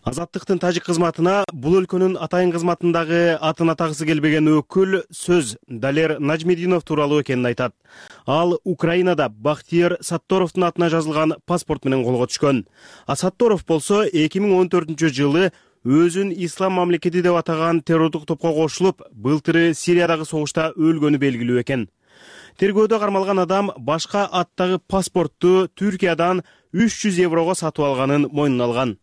Азаттыктын тажик кызматына бул өлкөнүн атайын кызматындагы атын атагысы келбеген өкүл сөз Далер Нажмединов тууралуу экенин айтат. Ал Украинада Бахтиер Сатторовдун атына жазылган паспорт менен колго түшкөн. А Сатторов болсо 2014-жылы өзүн ислам мамлекети деп атаган террордук топко кошулуп, былтыры Сириядагы согушта өлгөнү белгилүү экен. Тергөөдө кармалган адам башка аттагы паспортту Түркиядан 300 еврого сатып алганын мойнуна алган.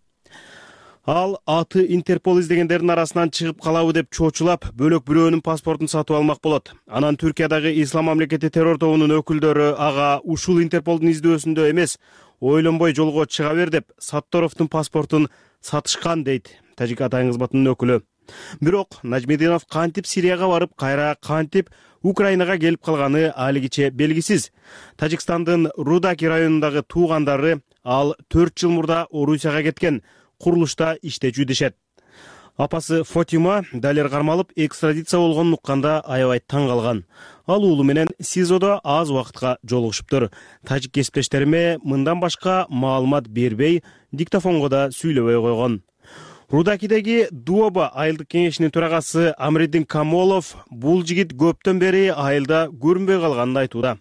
Ал аты Интерпол издегендердин арасынан чыгып калабы деп чочулап, бөлөк бирөөнүн паспортун сатып алмак болот. Анан Түркиядагы ислам мамлекети террор тобунун өкүлдөрү ага ушул Интерполдун издөөсүндө эмес, ойлонбой жолго чыга бер деп Сатторовдун паспортун сатышкан дейт тажик атайын кызматынын өкүлү. Бирок Нажмединов кантип Сирияга барып, кайра кантип Украинага келип калганы алигиче белгисиз. Тажикстандын Рудаки районундагы туугандары ал 4 жыл мурда Орусияга кеткен, курулушта иштечү дешет. Апасы Фотима далер кармалып экстрадиция болгонун укканда аябай таң калган. Ал уулу менен СИЗОдо аз убакытка жолугушуптур. Тажик кесиптештериме мындан башка маалымат бербей, диктофонго да сүйлөбөй койгон. Рудакидеги Дуоба айылдык кеңешинин төрагасы Амриддин Камолов бул жигит көптөн бери айылда көрүнбөй калганын айтууда.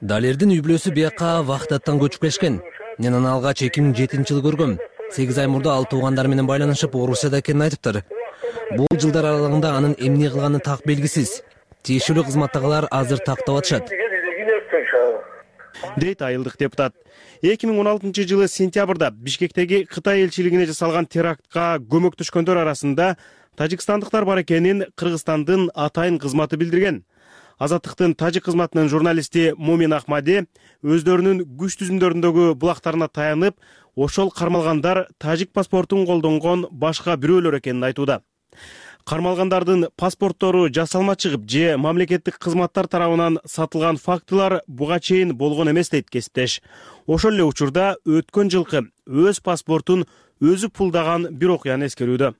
Далердин үй бүлөсү бияка Вахдаттан көчүп келишкен. Мен аны алгач 2007-жылы көргөм. 8 ай мурда ал туугандар менен байланышып Орусияда экенин айтыптыр. Бул жылдар аралыгында анын эмне кылганы так белгисиз. Тиешелүү кызматтагылар азыр тактап атышат, дейт айылдык депутат. 2016-жылы сентябрда Бишкектеги Кытай элчилигине жасалган терактка көмөктөшкөндөр арасында тажикстандыктар бар экенин Кыргызстандын атайын кызматы билдирген. Азаттыктын тажик кызматынын журналисти Мумин Ахмади өздөрүнүн күч түзүмдөрүндөгү булактарына таянып, ошол кармалгандар тажик паспортун колдонгон башка бирөөлөр экенин айтууда. Кармалгандардын паспорттору жасалма чыгып же мамлекеттик кызматтар тарабынан сатылган фактылар буга чейин болгон эмес дейт кесиптеш. Ошол эле учурда өткөн жылкы өз паспортун өзү пулдаган бир окуяны эскерүүдө.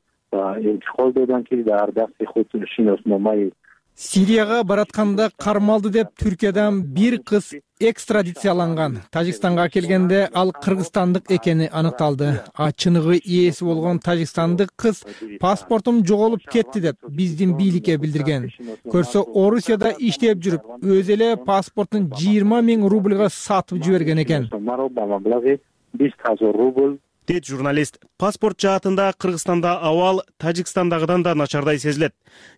Сирияга баратканда кармалды деп Түркиядан бир кыз экстрадицияланган. Тажикстанга келгенде ал кыргызстандык экени аныкталды. Чыныгы ээси болгон тажикстандык кыз паспортум жоголуп кетти деп биздин бийликке билдирген. Көрсө Орусияда иштеп жүрүп, өзү эле паспортун 20 000 рубльга сатып жиберген экен, дейт журналист. Паспорт жаатында Кыргызстанда абал Тажикстандагыдан да начардай сезилет.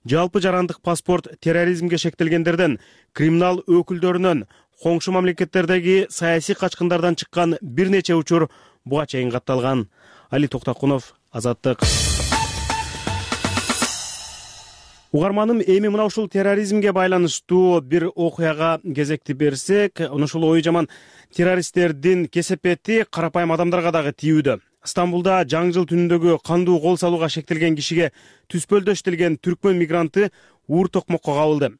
Жалпы жарандык паспорт терроризмге шектелгендерден, криминал өкүлдөрүнөн, коңшу мамлекеттердеги саясий качкындардан чыккан бир нече учур буга чейин катталган. Али Токтакунов, Азаттык. Угарманым, эми мына ушул терроризмге байланыштуу бир окуяга кезекти берсек, ушул ой жаман террористтердин кесепети карапайым адамдарга дагы тийүүдө. Стамбулда жаңы жыл түнүндөгү кандуу кол салууга шектелген кишиге түспөлдөш делген түркмөн мигранты уур токмокко кабылды.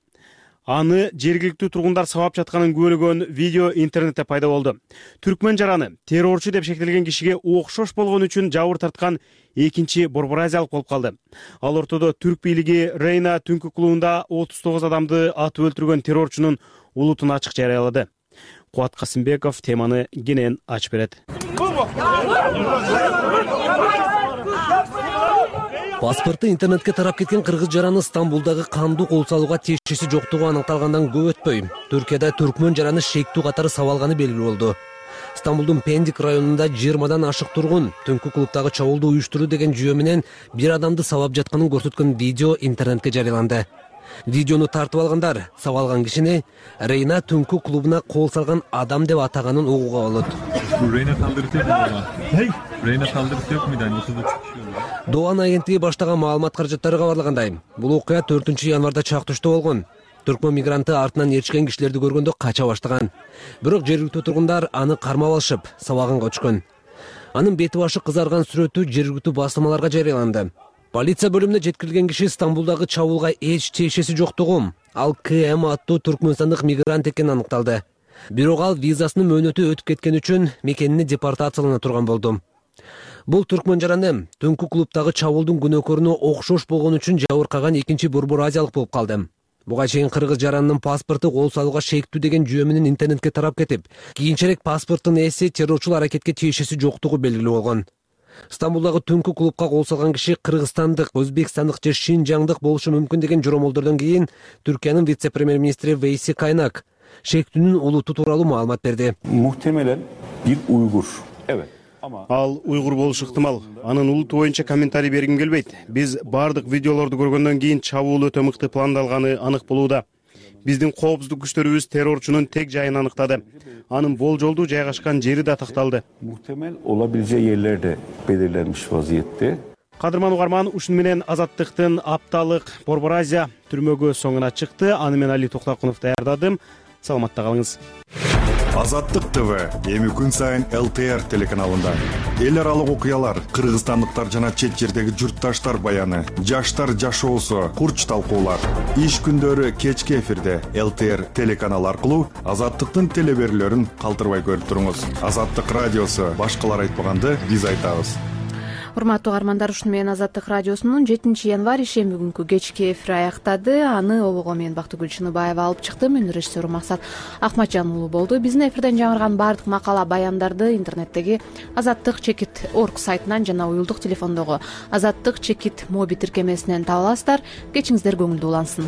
Аны жергиликтүү тургундар сабап жатканын көргөн видео интернетте пайда болду. Түркмөн жараны террорчу деп шектелген кишиге окшош болгон үчүн жабыр тарткан экинчи борборазиялык болуп калды. Ал ортодо түрк бийлиги Рейна түнкү клубунда 39 адамды атып өлтүргөн террорчунун улутун ачык жарыялады. Кубат Касымбеков теманы кенен ачып берет. Паспорты интернетке тарап кеткен кыргыз жараны Стамбулдагы кандуу кол салууга тиешеси жоктугу аныкталгандан көп өтпөй, Түркияда түркмөн жараны шектүү катары сабалганы белгилүү болду. Стамбулдун Пендик районунда 20-дан ашык тургун түнкү клубдагы чабуулду уюштуруу деген жүйө менен бир адамды сабап жатканын көрсөткөн видео интернетке жарыяланды. Видеону тартып алгандар сабалган кишини Рейна түнкү клубуна кол салган адам деп атаганын угууга болот. Doğan агенттиги баштаган маалымат каражаттары кабарлагандай, бул окуя 4-январда чактуштуу болгон. Түркмөн мигранты артынан ээрчкен кишилерди көргөндө кача баштаган. Бирок жергиликтүү тургундар аны кармап алышып, сабаганга өчкөн. Анын бети башы кызарган сүрөтү жергиликтүү басылмаларга жарыяланды. Полиция бөлүмүнө жеткирилген киши Стамбулдагы чабуулга эч тиешеси жоктугу, ал КМ аттуу түркмөнстандык мигрант экени аныкталды. Бирок ал визасынын мөөнөтү өтүп кеткен үчүн мекенине депортациялана турган болду. Бул түркмөн жараны түнкү клубдагы чабуулдун күнөөкөрүнө окшош болгон үчүн жабыркаган экинчи борборазиялык болуп калды. Буга чейин кыргыз жаранынын паспорту кол салууга шектүү деген жүйө менен интернетке тарап кетип, кийинчерээк паспорттун ээси террорчул аракетке тиешеси жоктугу белгилүү болгон. Стамбулдагы түнкү клубка кол салган киши кыргызстандык, өзбекстандык же шинжаңдык болушу мүмкүн деген жоромолдордон кийин Түркиянын вице-премьер-министри Вейси Кайнак шектүүнүн улуту тууралуу маалымат берди. Muhtemelen bir Uygur. Evet. Ал уйгур болушу ыктымал. Анын улуту боюнча комментарий бергим келбейт. Биз бардык видеолорду көргөндөн кийин чабуул өтө мыкты пландалганы анык болууда. Биздин коопсуздук күчтөрүбүз террорчунун тег жайын аныктады. Анын болжолдуу жайгашкан жери да такталды. Muhtemel olabileceği yerler de belirlenmiş vaziyette. Кадырман угарман, ушуну менен Азаттыктын апталык Борборазия түрмөгө соңуна чыкты. Аны мен Али Токтакунов даярдадым. Саламатта калыңыз. Азаттык ТВ эми күн сайын ЛТР телеканалында. Эл аралык окуялар, кыргызстандыктар жана чет жердеги журтташтар баяны, жаштар жашоосу, курч талкуулар. Иш күндөрү кечки эфирде ЛТР телеканалы аркылуу Азаттыктын телеберүүлөрүн калтырбай көрүп туруңуз. Азаттык радиосу башкалар айтпаганды биз айтабыз. Урматтуу каармандар, ушуну менен Азаттык радиосунун 7 январь ишемби күнкү кечки эфири аяктады. Аны Олого мен Бактыгүл Чыныбаева алып чыктым. Өнөр режиссеру Максат Акматжан уулу болду. Биздин эфирден жаңырган баардык макала баяндарды интернеттеги azattik.org сайтынан жана уюлдук телефондогу azattik.mobi тиркемесинен таба аласыздар. Кечиңиздер көңүлдүү улансын.